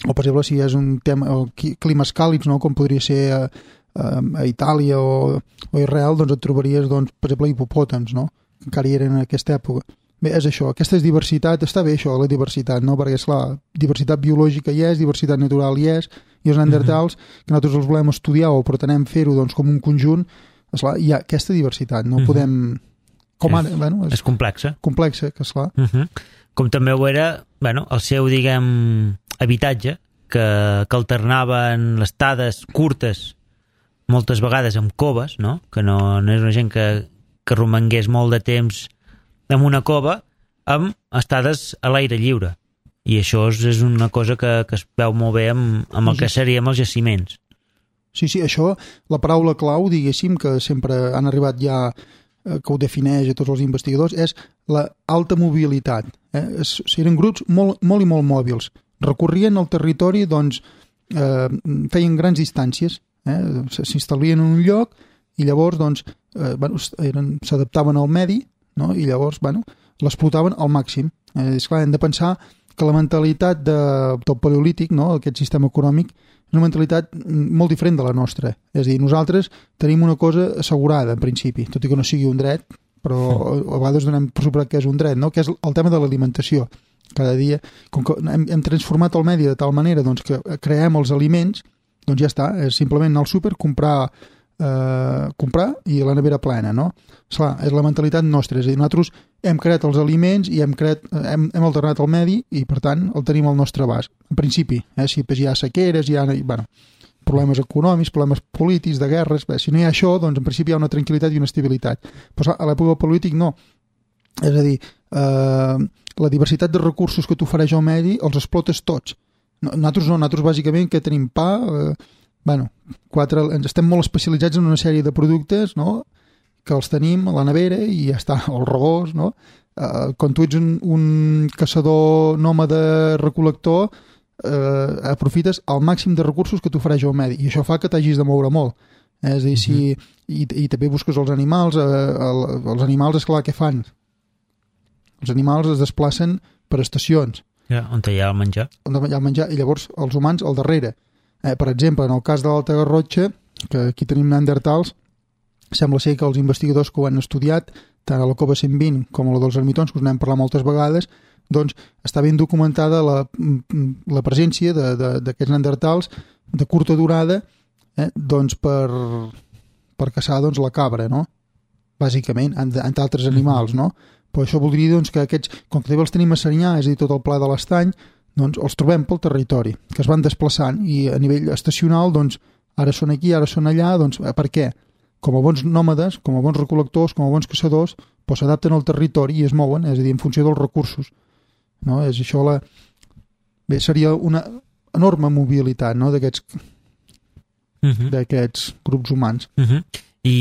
O per exemple si és un tema, o climes càlids, no? Com podria ser a, a, a Itàlia o, o Israel, doncs et trobaries, doncs, per exemple, hipopòtams, no? Que encara hi eren en aquesta època. Bé, és això, aquesta és diversitat, està bé això, la diversitat, no? Perquè, esclar, diversitat biològica hi és, diversitat natural hi és, i els neandertals, que nosaltres els volem estudiar o pretenem fer-ho doncs, com un conjunt, esclar, hi ha aquesta diversitat, no podem... Com ara, és, bueno, és, és complexa. Complexa, que esclar. Uh -huh. Com també ho era, bueno, el seu, diguem, habitatge, que, que alternava en les estades curtes, moltes vegades amb coves, no? Que no, no és una gent que, que romangués molt de temps en una cova, amb estades a l'aire lliure. I això és una cosa que, que es veu molt bé amb, amb el que serien els jaciments. Sí, sí, això, la paraula clau, diguéssim, que sempre han arribat ja, eh, que ho defineix a tots els investigadors, és la alta mobilitat. Eh? Es, eren grups molt, molt i molt mòbils. Recorrien el territori, doncs, eh, feien grans distàncies, eh? S'instal·lien en un lloc i llavors, doncs, eh, bueno, eren, s'adaptaven al medi, no? I llavors, bueno, l'explotaven al màxim. Eh, és clar, hem de pensar que la mentalitat de, del paleolític, no? Aquest sistema econòmic, és una mentalitat molt diferent de la nostra. És a dir, nosaltres tenim una cosa assegurada, en principi, tot i que no sigui un dret, però a vegades donem per suposat que és un dret, no? Que és el tema de l'alimentació. Cada dia, com que hem, hem transformat el medi de tal manera doncs, que creem els aliments, doncs ja està, és simplement anar al súper, comprar Eh, comprar i la nevera plena, no? Esclar, és la mentalitat nostra, és a dir, nosaltres hem creat els aliments i hem, creat, hem, hem alternat el medi i per tant el tenim al nostre abast, en principi, eh? Si hi ha sequeres, hi ha bueno, problemes econòmics, problemes polítics, de guerres, bé, si no hi ha això, doncs en principi hi ha una tranquil·litat i una estabilitat, però a l'època polític no, és a dir, eh, la diversitat de recursos que t'ofereix el medi els explotes tots. No, nosaltres no, nosaltres bàsicament que tenim pa, eh, bueno, quatre, estem molt especialitzats en una sèrie de productes, no?, que els tenim a la nevera i ja està, el regós, no? Eh, quan tu ets un, un caçador nòmade recol·lector, eh, aprofites el màxim de recursos que t'ofereix el medi i això fa que t'hagis de moure molt. Eh, és a dir, si, i, i també busques els animals, eh, el, els animals, esclar, què fan? Els animals es desplacen per estacions. Ja, on hi ha el menjar. On hi ha el menjar, i llavors els humans al darrere. Eh, per exemple, en el cas de l'Alta Garrotxa, que aquí tenim neandertals, sembla ser que els investigadors que ho han estudiat, tant a la cova cent vint com a la dels ermitons, que us n'hem parlat moltes vegades, doncs està ben documentada la, la presència d'aquests neandertals de curta durada, eh, doncs per, per caçar doncs, la cabra, no? Bàsicament, entre altres animals, no? Però això voldria doncs, que aquests, com que també els tenim a Serinyà, és a dir, tot el pla de l'Estany, doncs els trobem pel territori, que es van desplaçant, i a nivell estacional, doncs, ara són aquí, ara són allà, doncs, per què? Com a bons nòmades, com a bons recol·lectors, com a bons caçadors, doncs s'adapten al territori i es mouen, és a dir, en funció dels recursos. No? És això la... Bé, seria una enorme mobilitat, no?, d'aquests uh-huh. d'aquests grups humans. Uh-huh. I,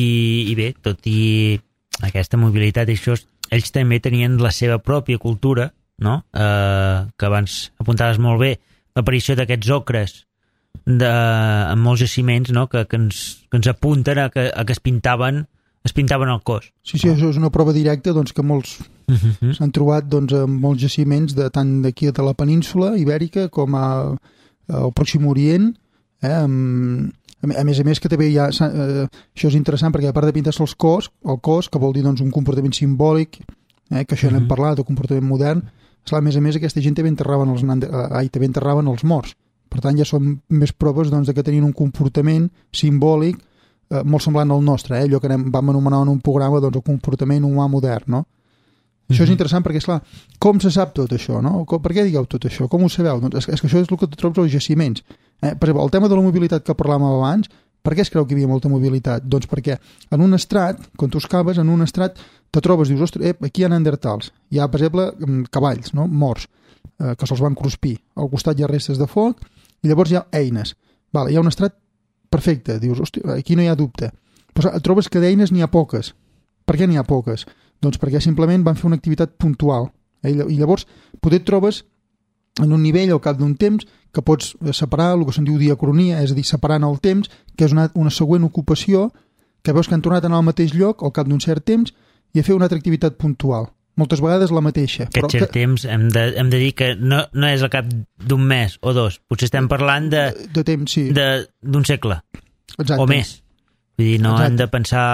I bé, tot i aquesta mobilitat i això, ells també tenien la seva pròpia cultura, no? Eh, que abans apuntaves molt bé, l'aparició d'aquests ocres de, en molts jaciments, no?, que, que, ens, que ens apunten a que, a que es pintaven es pintaven el cos. Sí, sí, això és una prova directa doncs, que molts uh-huh. s'han trobat doncs, en molts jaciments de, tant d'aquí de la península ibèrica com a, al Pròxim Orient, eh, amb, a més a més que també hi ha, eh, això és interessant perquè a part de pintar-se els cos, el cos, que vol dir doncs, un comportament simbòlic, eh, que això uh-huh. n'hem parlat, el comportament modern, esclar, a més a més aquesta gent també enterraven els, ai, també enterraven els morts. Per tant, ja són més proves doncs, de que tenien un comportament simbòlic eh, molt semblant al nostre, eh? Allò que anem, vam anomenar en un programa doncs, el comportament humà modern, no? Mm-hmm. Això és interessant perquè, esclar, com se sap tot això, no? Com, per què digueu tot això? Com ho sabeu? Doncs és, és que això és el que trobes als jaciments. Eh? Per exemple, el tema de la mobilitat que parlàvem abans, per què es creu que hi havia molta mobilitat? Doncs perquè en un estrat, quan tu excaves, en un estrat te trobes, dius, ostres, eh, aquí hi ha neandertals. Hi ha, per exemple, cavalls, no?, morts, eh, que se'ls van cruspir. Al costat hi ha restes de foc, i llavors hi ha eines. Vale, hi ha un estrat perfecte, dius, hosti, aquí no hi ha dubte. Però trobes que d'eines n'hi ha poques. Per què n'hi ha poques? Doncs perquè simplement van fer una activitat puntual. Eh? I llavors poder et trobes en un nivell al cap d'un temps que pots separar el que se'n diu diacronia, és a dir, separant el temps, que és una, una següent ocupació, que veus que han tornat a anar al mateix lloc al cap d'un cert temps i a fer una altra activitat puntual. Moltes vegades la mateixa. Aquest però cert que... temps hem de, hem de dir que no, no és al cap d'un mes o dos, potser estem parlant de, de temps, sí. d'un segle. Exacte. O més. Vull dir, no Exacte. hem de pensar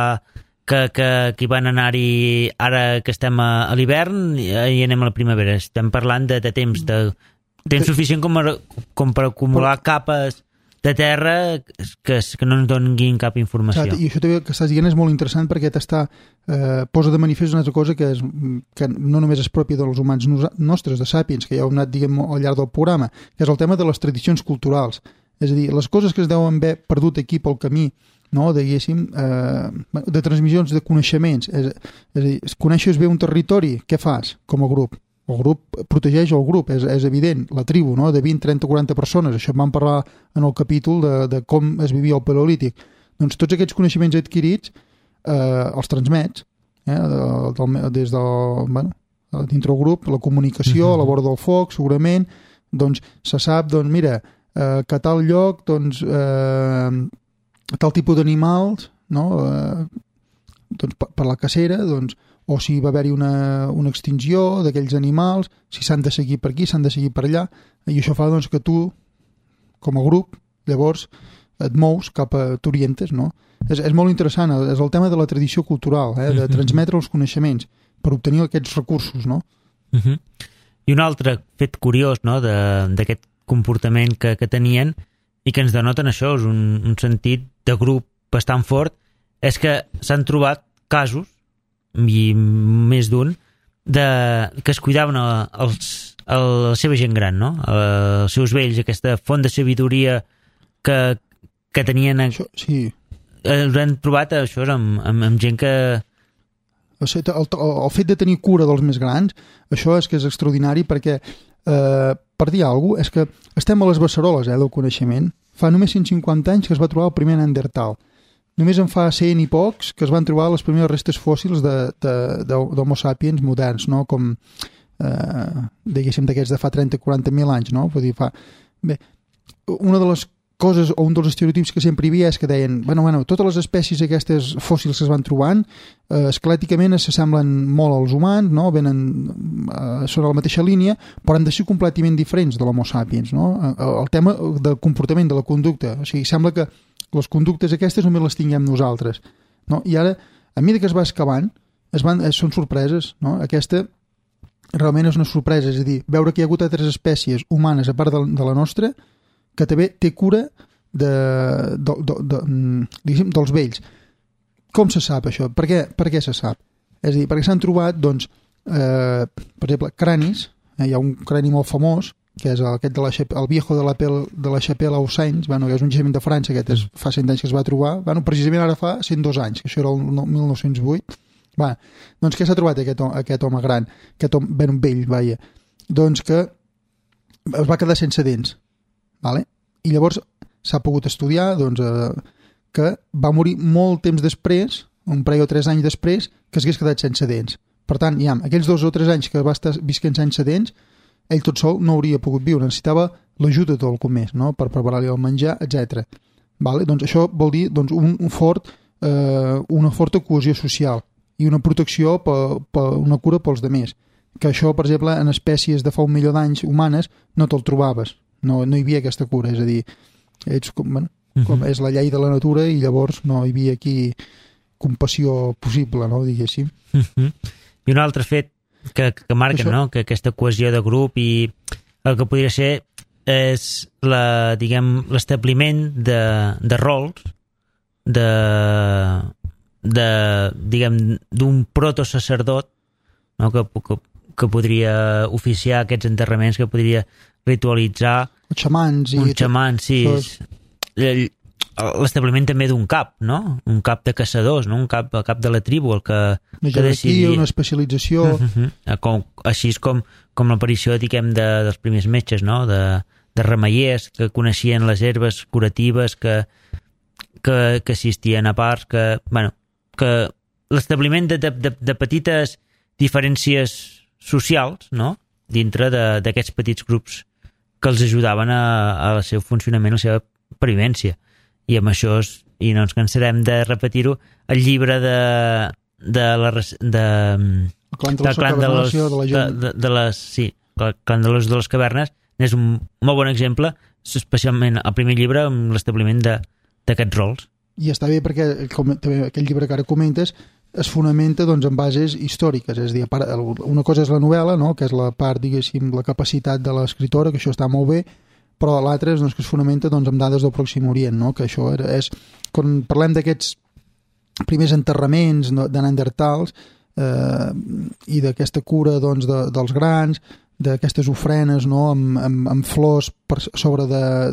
que, que, que hi van anar-hi ara que estem a, a l'hivern i, i anem a la primavera. Estem parlant de, de temps, de temps de... suficient com, a, com per acumular però... capes de terra que, que no ens donin cap informació. Exacte. I això també que estàs dient és molt interessant perquè t'està eh, posa de manifest una altra cosa que, és, que no només és pròpia dels humans nostres, de Sapiens, que ja heu anat diguem, al llarg del programa, que és el tema de les tradicions culturals. És a dir, les coses que es deuen haver perdut aquí pel camí, no, diguéssim, eh, de transmissions de coneixements. És, és a dir, coneixes bé un territori, què fas com a grup? El grup protegeix el grup, és, és evident, la tribu, no?, de vint, trenta, quaranta persones. Això en vam parlar en el capítol de, de com es vivia el paleolític. Doncs tots aquests coneixements adquirits eh, els transmets eh, de, de, des del, bueno, dintre el grup, la comunicació, a la vora del foc, segurament, doncs se sap, doncs mira, eh, que a tal lloc, doncs, eh, tal tipus d'animals, no?, eh, doncs per, per la cacera, doncs, o si va haver-hi una, una extinció d'aquells animals, si s'han de seguir per aquí, s'han de seguir per allà, i això fa doncs, que tu, com a grup, llavors et mous cap a... t'orientes, no? És, és molt interessant, és el tema de la tradició cultural, eh? De transmetre els coneixements per obtenir aquests recursos, no? Uh-huh. I un altre fet curiós, no?, d'aquest comportament que, que tenien i que ens denoten això, és un, un sentit de grup bastant fort, és que s'han trobat casos i més d'un, de, que es cuidaven a, els, a la seva gent gran, no? Els seus vells, aquesta font de sabidoria que, que tenien... Això, sí. Els han trobat això amb, amb, amb gent que, O sigui, el, el, el fet de tenir cura dels més grans, això és que és extraordinari perquè, eh, per dir alguna cosa, és que estem a les beceroles eh, del coneixement. Fa només cent cinquanta anys que es va trobar el primer Neandertal. Només en fa cent i pocs que es van trobar les primeres restes fòssils d'Homo sapiens moderns, no? Com, eh, diguéssim, d'aquests de fa trenta a quaranta mil anys, no? Vull dir, fa... Bé, una de les coses o un dels estereotips que sempre hi havia és que deien, bueno, bueno, totes les espècies aquestes fòssils que es van trobant eh, esquelèticament s'assemblen molt als humans, no? Venen, eh, són a la mateixa línia, però han de ser completament diferents de l'Homo sapiens, no? El tema del comportament, de la conducta, o sigui, sembla que les conductes aquestes només les tinguem nosaltres, no? I ara, a mesura que es va excavant, es van, eh, són sorpreses, no? Aquesta realment és una sorpresa, és a dir, veure que hi ha hagut altres espècies humanes a part de, de la nostra que també té cura de, de, de, de, diguéssim, dels vells. Com se sap això? Per què, per què se sap? És a dir, perquè s'han trobat, doncs, eh, per exemple, cranis, eh, hi ha un crani molt famós, que és aquest de la, el viejo de la, pel, de la Chapelle aux Saints, bueno, que és un jaciment de França, aquest és, fa cent anys que es va trobar, bueno, precisament ara fa cent dos anys, que això era el mil nou-cents vuit. Va, doncs què s'ha trobat aquest, aquest home gran, aquest home ben vell, vaja? Doncs que es va quedar sense dents. Vale? I llavors s'ha pogut estudiar doncs, eh, que va morir molt temps després, un parell o tres anys després, que s'hagués quedat sense dents. Per tant, ja, aquells dos o tres anys que va estar visquent sense dents, ell tot sol no hauria pogut viure, necessitava l'ajuda de qualcú més, no? Per preparar-li el menjar, etcètera. Vale? Doncs això vol dir doncs, un, un fort, eh, una forta cohesió social i una protecció, per, per una cura pels demés. Que això, per exemple, en espècies de fa un milió d'anys humanes no te'l trobaves. No, no hi havia aquesta cura, és a dir, ets com, bueno, com és la llei de la natura i llavors no hi havia aquí compassió possible, no, diguéssim. Uh -huh. I un altre fet que, que marca, això, no?, que aquesta cohesió de grup i el que podria ser és la, diguem, l'establiment de, de rols de, de diguem, d'un protosacerdot, no?, que, que, que podria oficiar aquests enterraments, que podria ritualitzar els xamans i un xaman, sí, l'establiment també d'un cap, no? Un cap de caçadors, no? Un cap, el cap de la tribu, el que, una que decidia una especialització. Uh -huh. com, així és com, com l'aparició, diguem, de, dels primers metges, no? De, de remeiers que coneixien les herbes curatives, que, que, que assistien a parts, que, bueno, que l'establiment de, de, de, de petites diferències socials, no?, dintre d'aquests petits grups que els ajudaven a, a el seu funcionament, a la seva pervivència. I amb això, és, i no ens cansarem de repetir-ho, el llibre de, de la... De, el clan de, de, clan de, los, de, la de, de, de les... Sí, el clan de les, de les cavernes és un molt bon exemple, especialment el primer llibre amb l'establiment d'aquests rols. I està bé perquè com, també aquell llibre que ara comentes es fonamenta doncs, en bases històriques, és a dir, una cosa és la novel·la, no?, que és la part, diguéssim, la capacitat de l'escriptora, que això està molt bé, però l'altre és doncs, que es fonamenta doncs, amb dades del Pròxim Orient, no?, que això era, és, quan parlem d'aquests primers enterraments no, de Neandertals eh, i d'aquesta cura doncs, de, dels grans, d'aquestes ofrenes, no?, amb, amb, amb flors per sobre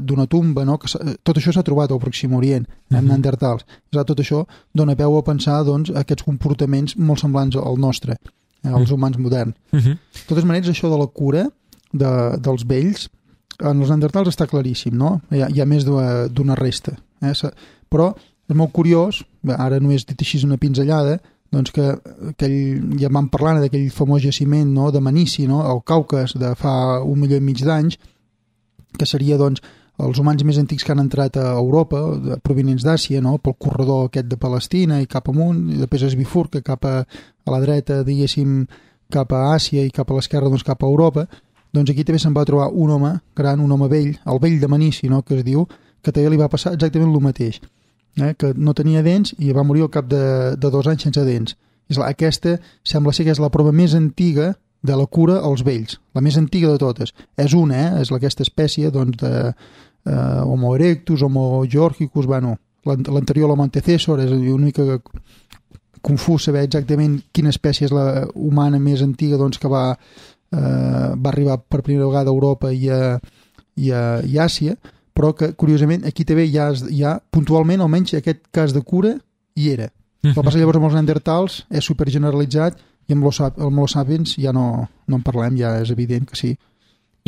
d'una tumba, no?, que tot això s'ha trobat al Pròxim Orient, en mm-hmm. Neandertals. Clar, tot això dona peu a pensar doncs, aquests comportaments molt semblants al nostre, eh, als humans moderns. Mm-hmm. De totes maneres, això de la cura de, dels vells, en els Neandertals està claríssim, no? Hi ha, hi ha més d'una resta. Eh? Però és molt curiós, ara només dit així una pinzellada, doncs que aquell, ja vam parlant d'aquell famós jaciment, no?, de Manici, no?, al Caucas de fa un milió i mig d'anys, que seria doncs, els humans més antics que han entrat a Europa, provinents d'Àsia, no?, pel corredor aquest de Palestina i cap amunt, i després es bifurca cap a, a la dreta, diguéssim, cap a Àsia i cap a l'esquerra, doncs cap a Europa. Doncs aquí també se'n va trobar un home gran, un home vell, el vell de Manici, no?, que es diu, que també li va passar exactament el mateix. Eh, que no tenia dents i va morir al cap de, de dos anys sense dents. I clar, aquesta sembla ser que és la prova més antiga de la cura als vells, la més antiga de totes. És una, eh? És aquesta espècie doncs, de eh, Homo erectus, Homo georgicus, bueno, l'anterior Homo antecessor, és una mica confús saber exactament quina espècie és la humana més antiga doncs, que va, eh, va arribar per primera vegada a Europa i a, i a, i a Àsia, però que, curiosament, aquí també hi ha, hi ha puntualment, almenys aquest cas de cura hi era. El que passa llavors amb els neandertals és super generalitzat i amb els Homo sapiens ja no, no en parlem, ja és evident que sí.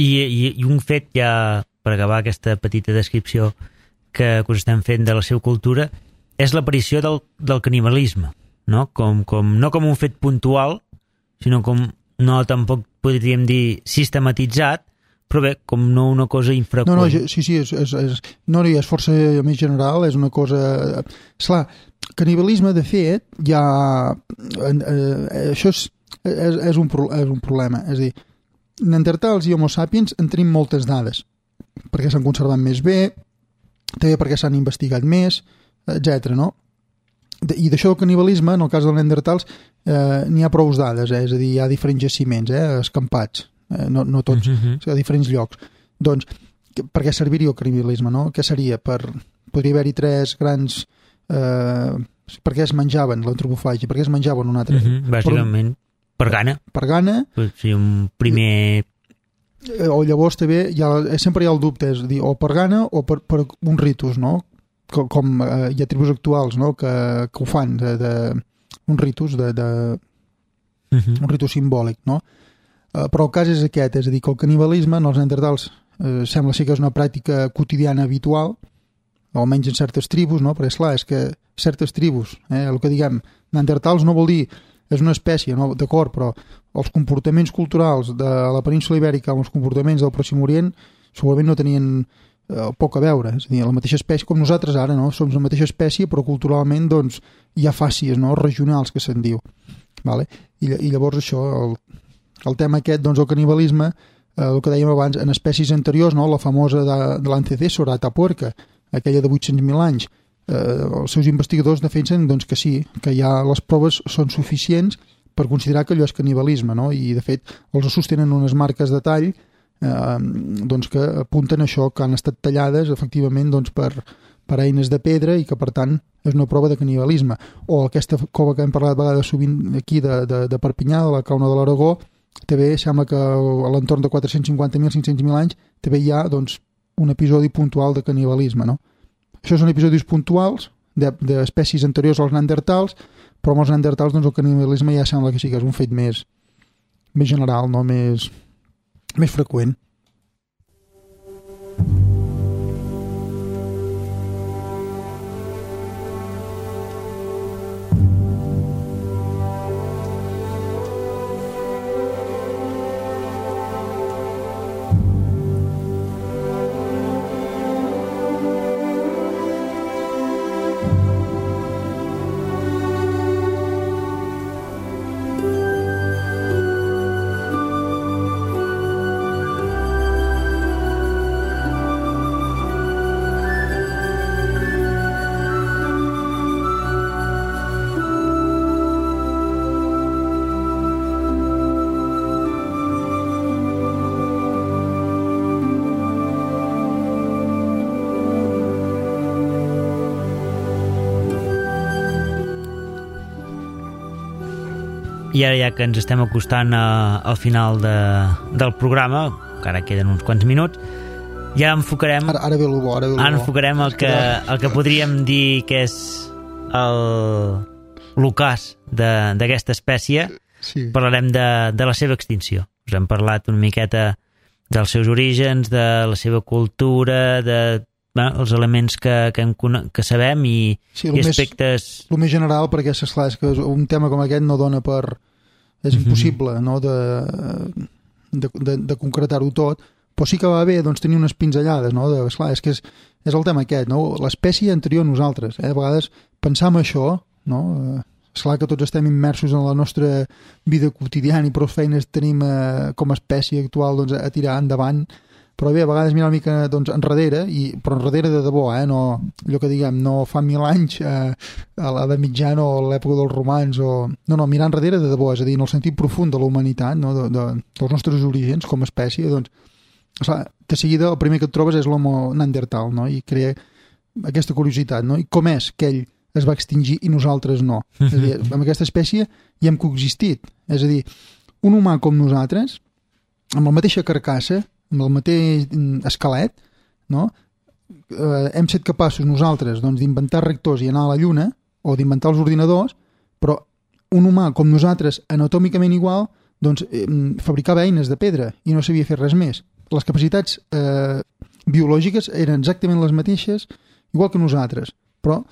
I, i, i un fet ja, per acabar aquesta petita descripció que, que us estem fent de la seva cultura, és l'aparició del, del canibalisme, no? Com, com, no com un fet puntual, sinó com, no tampoc podríem dir sistematitzat, però bé, com no una cosa infreqüent. No, no, sí, sí, és, és, és, no, no, és força més general, és una cosa... Esclar, canibalisme, de fet, ja... Eh, eh, això és, és, és, un, és un problema. És a dir, neandertals i homo sapiens en tenim moltes dades, perquè s'han conservat més bé, també perquè s'han investigat més, etcètera, no? De, I d'això del canibalisme, en el cas dels neandertals, eh, n'hi ha prou dades, eh? És a dir, hi ha diferents jaciments, eh? Escampats, eh? no, no tots, uh-huh. a diferents llocs. Doncs, per què serviria el canibalisme, no? Què seria? Per, podria haver-hi tres grans... Eh, per què es menjaven l'antropofàgia? Per què es menjaven un altre? Uh-huh. Bàsicament, per, per gana. Per gana. Per ser un primer... O llavors també hi ha, sempre hi ha el dubte, és a dir, o per gana o per, per un ritus, no? Com, com eh, hi ha tribus actuals, no? que, que ho fan de, de un ritus de, de uh-huh. un ritus simbòlic, no? Eh, però el cas és aquest, és a dir, que el canibalisme en els neandertals eh, sembla ser que és una pràctica quotidiana habitual, o almenys en certes tribus, no? Perquè esclar, és que certes tribus, eh, el que diguem neandertals no vol dir és una espècie, no? D'acord, però els comportaments culturals de la península ibèrica amb els comportaments del Pròxim Orient segurament no tenien eh, poc a veure, és a dir, la mateixa espècie com nosaltres ara, no? Som la mateixa espècie però culturalment doncs hi ha fàcies, no? Regionals que se'n diu, vale? I, i llavors això, el, el tema aquest, doncs el canibalisme, eh, el que dèiem abans, en espècies anteriors, no? La famosa de, de l'antecessor, Atapuerca, aquella de vuit-cents mil anys, eh, els seus investigadors defensen doncs, que sí, que ja les proves són suficients per considerar que allò és canibalisme, no? I de fet els sostenen unes marques de tall eh, doncs, que apunten això, que han estat tallades efectivament doncs, per, per eines de pedra i que per tant és una prova de canibalisme. O aquesta cova que hem parlat a vegades sovint aquí de, de, de Perpinyà, de la Cauna de l'Aragó, també sembla que a l'entorn de quatre-cents cinquanta mil, cinc-cents mil anys també hi ha doncs, un episodi puntual de canibalisme, no? Això són episodis puntuals d'espècies de, anteriors als neandertals, però amb els neandertals doncs, el canibalisme ja sembla que sí que és un fet més, més general, no? més, més freqüent. I ara ja que ens estem acostant a, al final de, del programa, que ara queden uns quants minuts, ja enfocarem... Ara, ara ve el bo, ara ve el bo. Ara enfocarem el que, el que podríem dir que és el l'ocàs d'aquesta espècie. Sí. Parlarem de, de la seva extinció. Us hem parlat una miqueta dels seus orígens, de la seva cultura, de... Bueno, els elements que, que, hem, que sabem i, sí, i aspectes... Més, el més general, perquè és, clar, és que un tema com aquest no dona per... És impossible, mm-hmm. no?, de, de, de, de concretar-ho tot, però sí que va bé doncs, tenir unes pinzellades, no?, de, esclar, és que és, és el tema aquest, no?, l'espècie anterior a nosaltres, eh? A vegades pensar en això, no?, esclar que tots estem immersos en la nostra vida quotidiana i prou feines tenim eh, com a espècie actual doncs, a tirar endavant, però bé, a vegades mirar una mica doncs, enrere, i, però enrere de debò, eh? No, allò que diguem, no fa mil anys eh, a l'edat mitjana o a l'època dels romans, o... no, no, mirar enrere de debò, és a dir, en el sentit profund de la humanitat, no? de, de, dels nostres orígens com a espècie, doncs, esclar, de seguida el primer que et trobes és l'homo neandertal, no? I crea aquesta curiositat, no? I com és que ell es va extingir i nosaltres no? És a dir, amb aquesta espècie hi hem coexistit, és a dir, un humà com nosaltres, amb la mateixa carcassa, amb el mateix esquelet, no? Eh, hem set capaços nosaltres doncs, d'inventar reactors i anar a la Lluna, o d'inventar els ordinadors, però un humà com nosaltres, anatòmicament igual, doncs eh, fabricava eines de pedra i no sabia fer res més. Les capacitats eh, biològiques eren exactament les mateixes, igual que nosaltres, però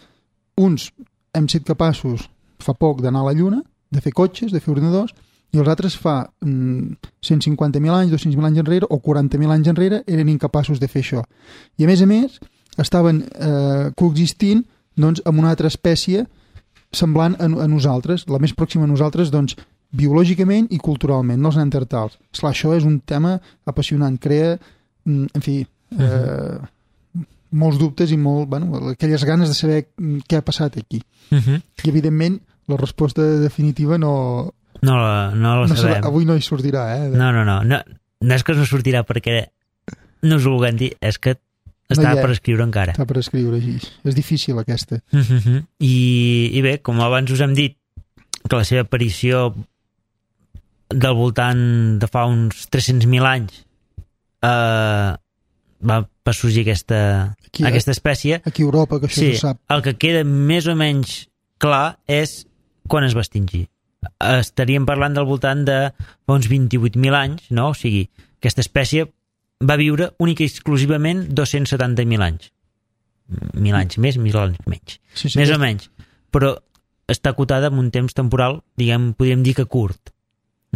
uns hem set capaços fa poc d'anar a la Lluna, de fer cotxes, de fer ordinadors, i els altres fa mm, cent cinquanta mil anys, dos-cents mil anys enrere o quaranta mil anys enrere eren incapaços de fer això. I a més a més estaven eh, coexistint doncs, amb una altra espècie semblant a, a nosaltres, la més pròxima a nosaltres doncs, biològicament i culturalment, no els neandertals. Esclar, això és un tema apassionant, crea, mm, en fi, eh, uh-huh. molts dubtes i molt, bueno, aquelles ganes de saber què ha passat aquí. Uh-huh. I evidentment la resposta definitiva no... No la, no la no sabem. Serà, avui no hi sortirà, eh? No, no, no, no. No és que no sortirà perquè no us ho vulguem dir, és que està no per escriure encara. Està per escriure, així. És difícil, aquesta. Uh-huh. I, I bé, com abans us hem dit, que la seva aparició del voltant de fa uns tres-cents mil anys eh, va per sorgir aquesta, aquí, aquesta espècie. Aquí a Europa, que això sí, se sap. El que queda més o menys clar és quan es va extingir. Estaríem parlant del voltant de fa uns vint-i-vuit mil anys, no? O sigui, aquesta espècie va viure única i exclusivament dos-cents setanta mil anys. Mil anys més, mil anys menys. Sí, sí, més sí. o menys. Però està acotada en un temps temporal, diguem, podríem dir que curt.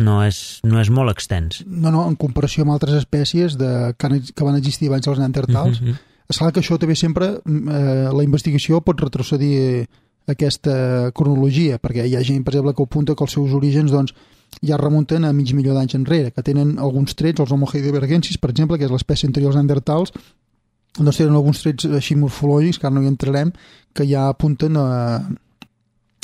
No és, no és molt extens. No, no, en comparació amb altres espècies de, que, han, que van existir abans dels neandertals. Uh-huh. És clar que això també sempre, eh, la investigació pot retrocedir aquesta cronologia, perquè hi ha gent, per exemple, que apunta que els seus orígens doncs, ja remunten a mig milió d'anys enrere, que tenen alguns trets, els Homo heidelbergensis, per exemple, que és l'espècie anterior als neandertals, doncs tenen alguns trets així morfològics, que ara no hi entrarem, que ja apunten a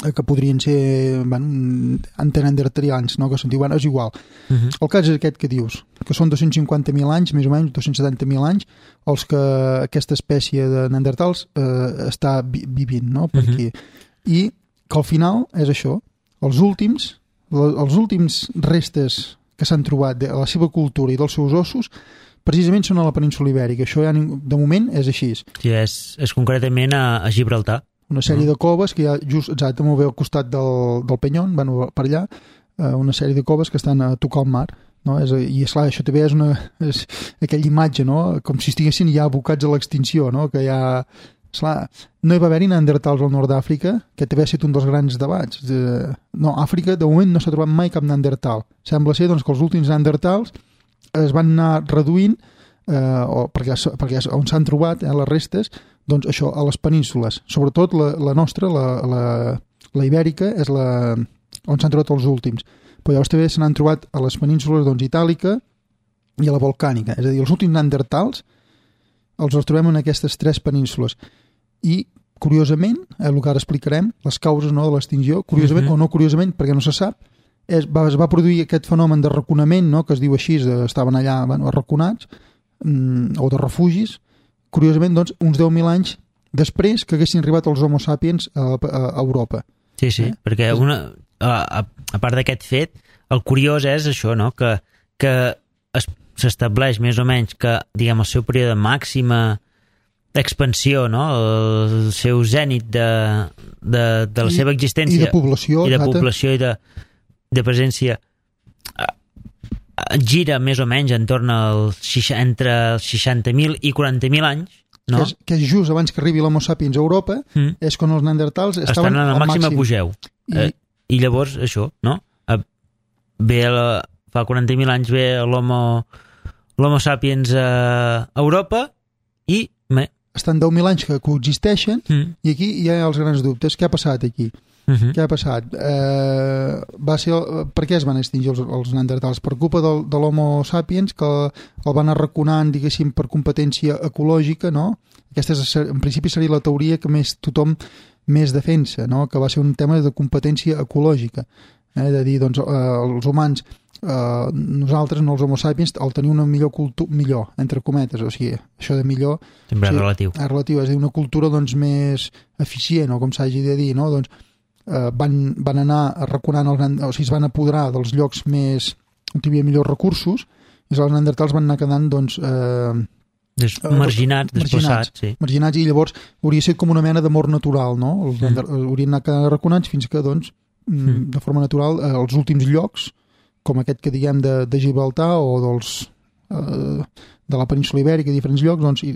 que podrien ser bueno, anteneandertalians, no? Que se'n diuen, és igual. Uh-huh. El cas és aquest que dius, que són dos-cents cinquanta mil anys, més o menys, dos-cents setanta mil anys, els que aquesta espècie de neandertals eh, està vi- vivint, no? Per aquí. Uh-huh. I que al final és això, els últims, els últims restes que s'han trobat de la seva cultura i dels seus ossos precisament són a la península Ibèrica. Això ja, de moment és així. Sí, és, és concretament a, a Gibraltar. Una sèrie de coves que hi ha just exacte molt bé al costat del, del Penyón, bueno, per allà, eh, una sèrie de coves que estan a tocar el mar, no? És, i esclar, això també és, una, és aquella imatge, no? Com si estiguessin ja abocats a l'extinció, no? Que ja, esclar, no hi va haver-hi neandertals al nord d'Àfrica, que també ha estat un dels grans debats. Eh, no, Àfrica de moment no s'ha trobat mai cap neandertal. Sembla ser doncs, que els últims neandertals es van anar reduint eh, o perquè, perquè on s'han trobat eh, les restes, doncs això, a les penínsules, sobretot la, la nostra, la, la, la ibèrica, és la on s'han trobat els últims. Però llavors també se n'han trobat a les penínsules doncs, itàlica i a la volcànica. És a dir, els últims neandertals els, els trobem en aquestes tres penínsules. I, curiosament, eh, el que ara explicarem, les causes no, de l'extinció, curiosament uh-huh. o no curiosament, perquè no se sap, és, va, es va produir aquest fenomen de raconament, no, que es diu així, de, estaven allà bueno, arraconats, mm, o de refugis, curiosament, doncs, uns deu mil anys després que haguessin arribat els Homo sapiens a, a, a Europa. Sí, sí, eh? Perquè una, a, a part d'aquest fet, el curiós és això, no? que, que es, s'estableix més o menys que, diguem, el seu període màxima d'expansió, no? El seu zènit de, de, de la I, seva existència i de població, i de, exacte. població, i de, de presència gira més o menys en torn als, entre els seixanta mil i quaranta mil anys, no? Que és, que és just abans que arribi l'Homo sapiens a Europa, mm. és quan els neandertals estaven estan en el màxim, màxim apogeu. I... Eh, I llavors, això, no? Ve la, fa quaranta mil anys ve l'Homo, l'Homo sapiens a Europa i... Me... Estan deu mil anys que coexisteixen mm. i aquí hi ha els grans dubtes. Què ha passat aquí? Uh-huh. Què ha passat? Eh, va ser, per què es van extingir els, els neandertals? Per culpa del, de l'Homo sapiens, que el van arraconant, diguéssim, per competència ecològica, no? Aquesta és, en principi seria la teoria que més tothom més defensa, no? Que va ser un tema de competència ecològica. Eh? De dir, doncs, eh, els humans, eh, nosaltres, no els Homo sapiens, el tenir una millor cultura, millor, entre cometes, o sigui, això de millor... Sempre o sigui, és relatiu. És relatiu, és a dir, una cultura, doncs, més eficient, o com s'hagi de dir, no? Doncs, Uh, van, van anar arraconant els, o sigui, es van apoderar dels llocs més on hi havia millors recursos i els neandertals van anar quedant doncs, eh, Des, marginats, desplaçats, sí. Marginats, i llavors hauria de ser com una mena d'amor natural, no? Els mm. haurien anat arraconats fins que, doncs, mm. de forma natural, els últims llocs, com aquest que diguem de, de Gibraltar o dels, eh, de la península Ibèrica, diferents llocs, doncs, i,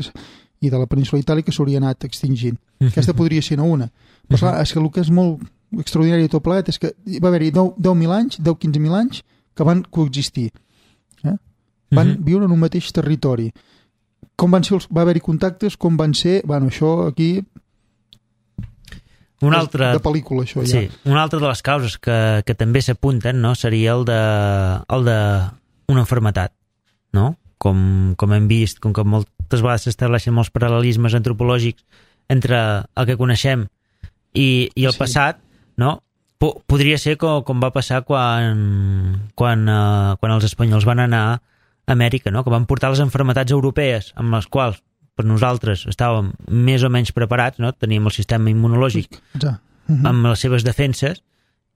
i de la península Itàlica s'hauria anat extingint. Mm-hmm. Aquesta podria ser una. Però, clar, és que el que és molt extraordinari de tot plegat és que va haver-hi deu mil anys, deu a quinze mil anys, que van coexistir. Eh? Van mm-hmm. viure en un mateix territori. Com van ser els, va haver-hi contactes, com van ser, bueno, això aquí una altra, de pel·lícula, això ja. Sí, una altra de les causes que, que també s'apunten, no?, seria el de, el de una malaltia, no? Com, com hem vist, com que moltes vegades s'estableixen molts paral·lelismes antropològics entre el que coneixem i, i el sí. passat, no? P- podria ser com, com va passar quan, quan, uh, quan els espanyols van anar a Amèrica, no? Que van portar les malalties europees amb les quals per nosaltres estàvem més o menys preparats, no? Teníem el sistema immunològic ja. uh-huh. amb les seves defenses,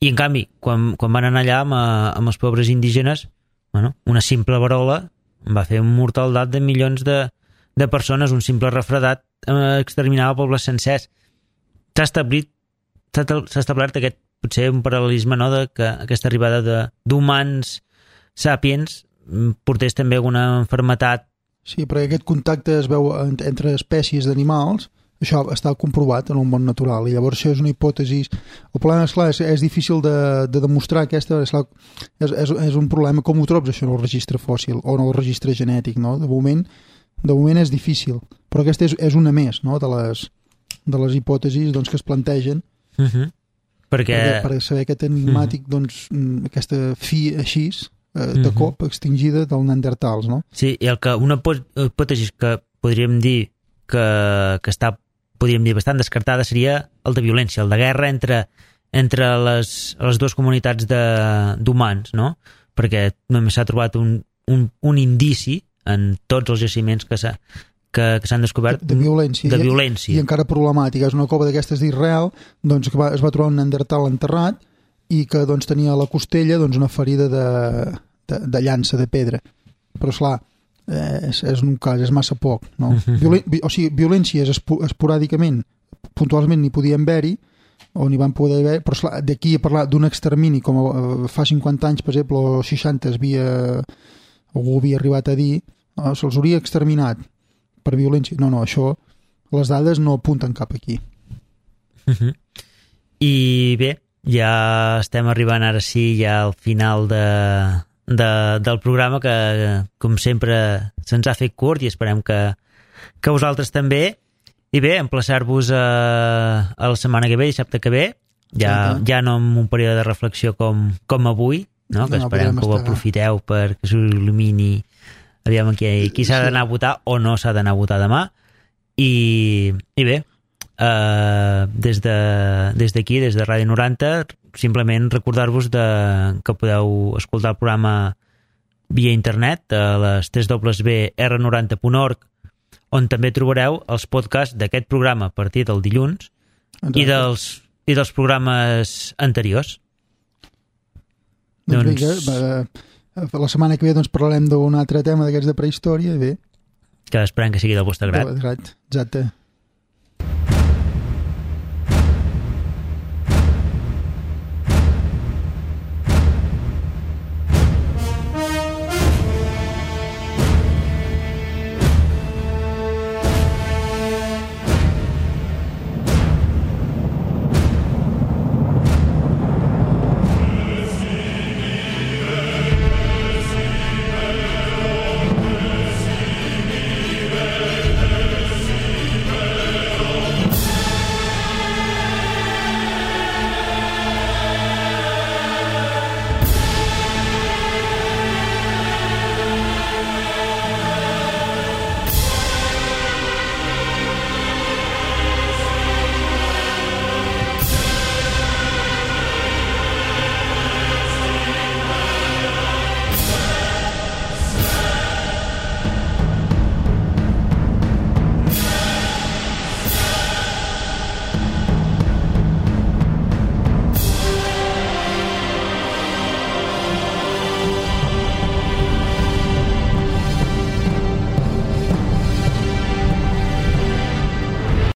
i en canvi quan, quan van anar allà amb, amb els pobres indígenes, bueno, una simple verola va fer un mortaldat de milions de, de persones, un simple refredat eh, exterminava pobles sencers. S'ha establit s'ha establert aquest, potser un paral·lelisme, no?, de que aquesta arribada de, d'humans sapiens portés també alguna malaltia. Sí, perquè aquest contacte es veu entre espècies d'animals, això està comprovat en el món natural, i llavors això és una hipòtesi. El problema, esclar, és, és difícil de, de demostrar aquesta, esclar, és, és, és un problema, com ho trobes això en el registre fòssil o en el registre genètic, no? De moment, de moment és difícil, però aquesta és, és una més, no?, de les, de les hipòtesis, doncs, que es plantegen uh-huh. perquè... per, per saber aquest enigmàtic, uh-huh. doncs, aquesta fi així, de uh-huh. cop extingida del Neandertals, no? Sí, i el que una hipòtesi que podríem dir que, que està, podríem dir, bastant descartada seria el de violència, el de guerra entre, entre les, les dues comunitats de, d'humans, no? Perquè només s'ha trobat un, un, un indici en tots els jaciments que, s'ha, que, que s'han descobert de, de violència, de violència. I, i encara problemàtica. És una cova d'aquestes d'Israel, doncs, que va, es va trobar un Neandertal enterrat i que, doncs, tenia a la costella, doncs, una ferida de, de, de llança de pedra. Però, esclar, eh, és, és un cas, és massa poc, no? Uh-huh. Violen, o sigui, violències espo, esporàdicament, puntualment n'hi podien haver-hi, o n'hi van poder haver, però, esclar, d'aquí a parlar d'un extermini, com eh, fa cinquanta anys, per exemple, o seixanta, es havia, algú havia arribat a dir, no, se'ls hauria exterminat per violència. No, no, això, les dades no apunten cap aquí. Uh-huh. I bé, ja estem arribant ara sí ja al final de, de, del programa, que com sempre se'ns ha fet curt i esperem que, que vosaltres també. I bé, emplaçar-vos a, a la setmana que ve, dissabte que ve, ja, sí, ja no amb un període de reflexió com, com avui, no? Que no, esperem que ho aprofiteu perquè s'il·lumini, aviam qui, qui s'ha d'anar a votar o no s'ha d'anar a votar demà. I, i bé, Uh, des de, des d'aquí, des de Ràdio noranta, simplement recordar-vos de, que podeu escoltar el programa via internet a les w w w punt r noranta punt org, on també trobareu els podcasts d'aquest programa a partir del dilluns i dels, i dels programes anteriors. Doncs, doncs... Bé, la setmana que ve doncs, parlarem d'un altre tema d'aquests de prehistòria i bé, que esperem que sigui del vostre grat. Exacte.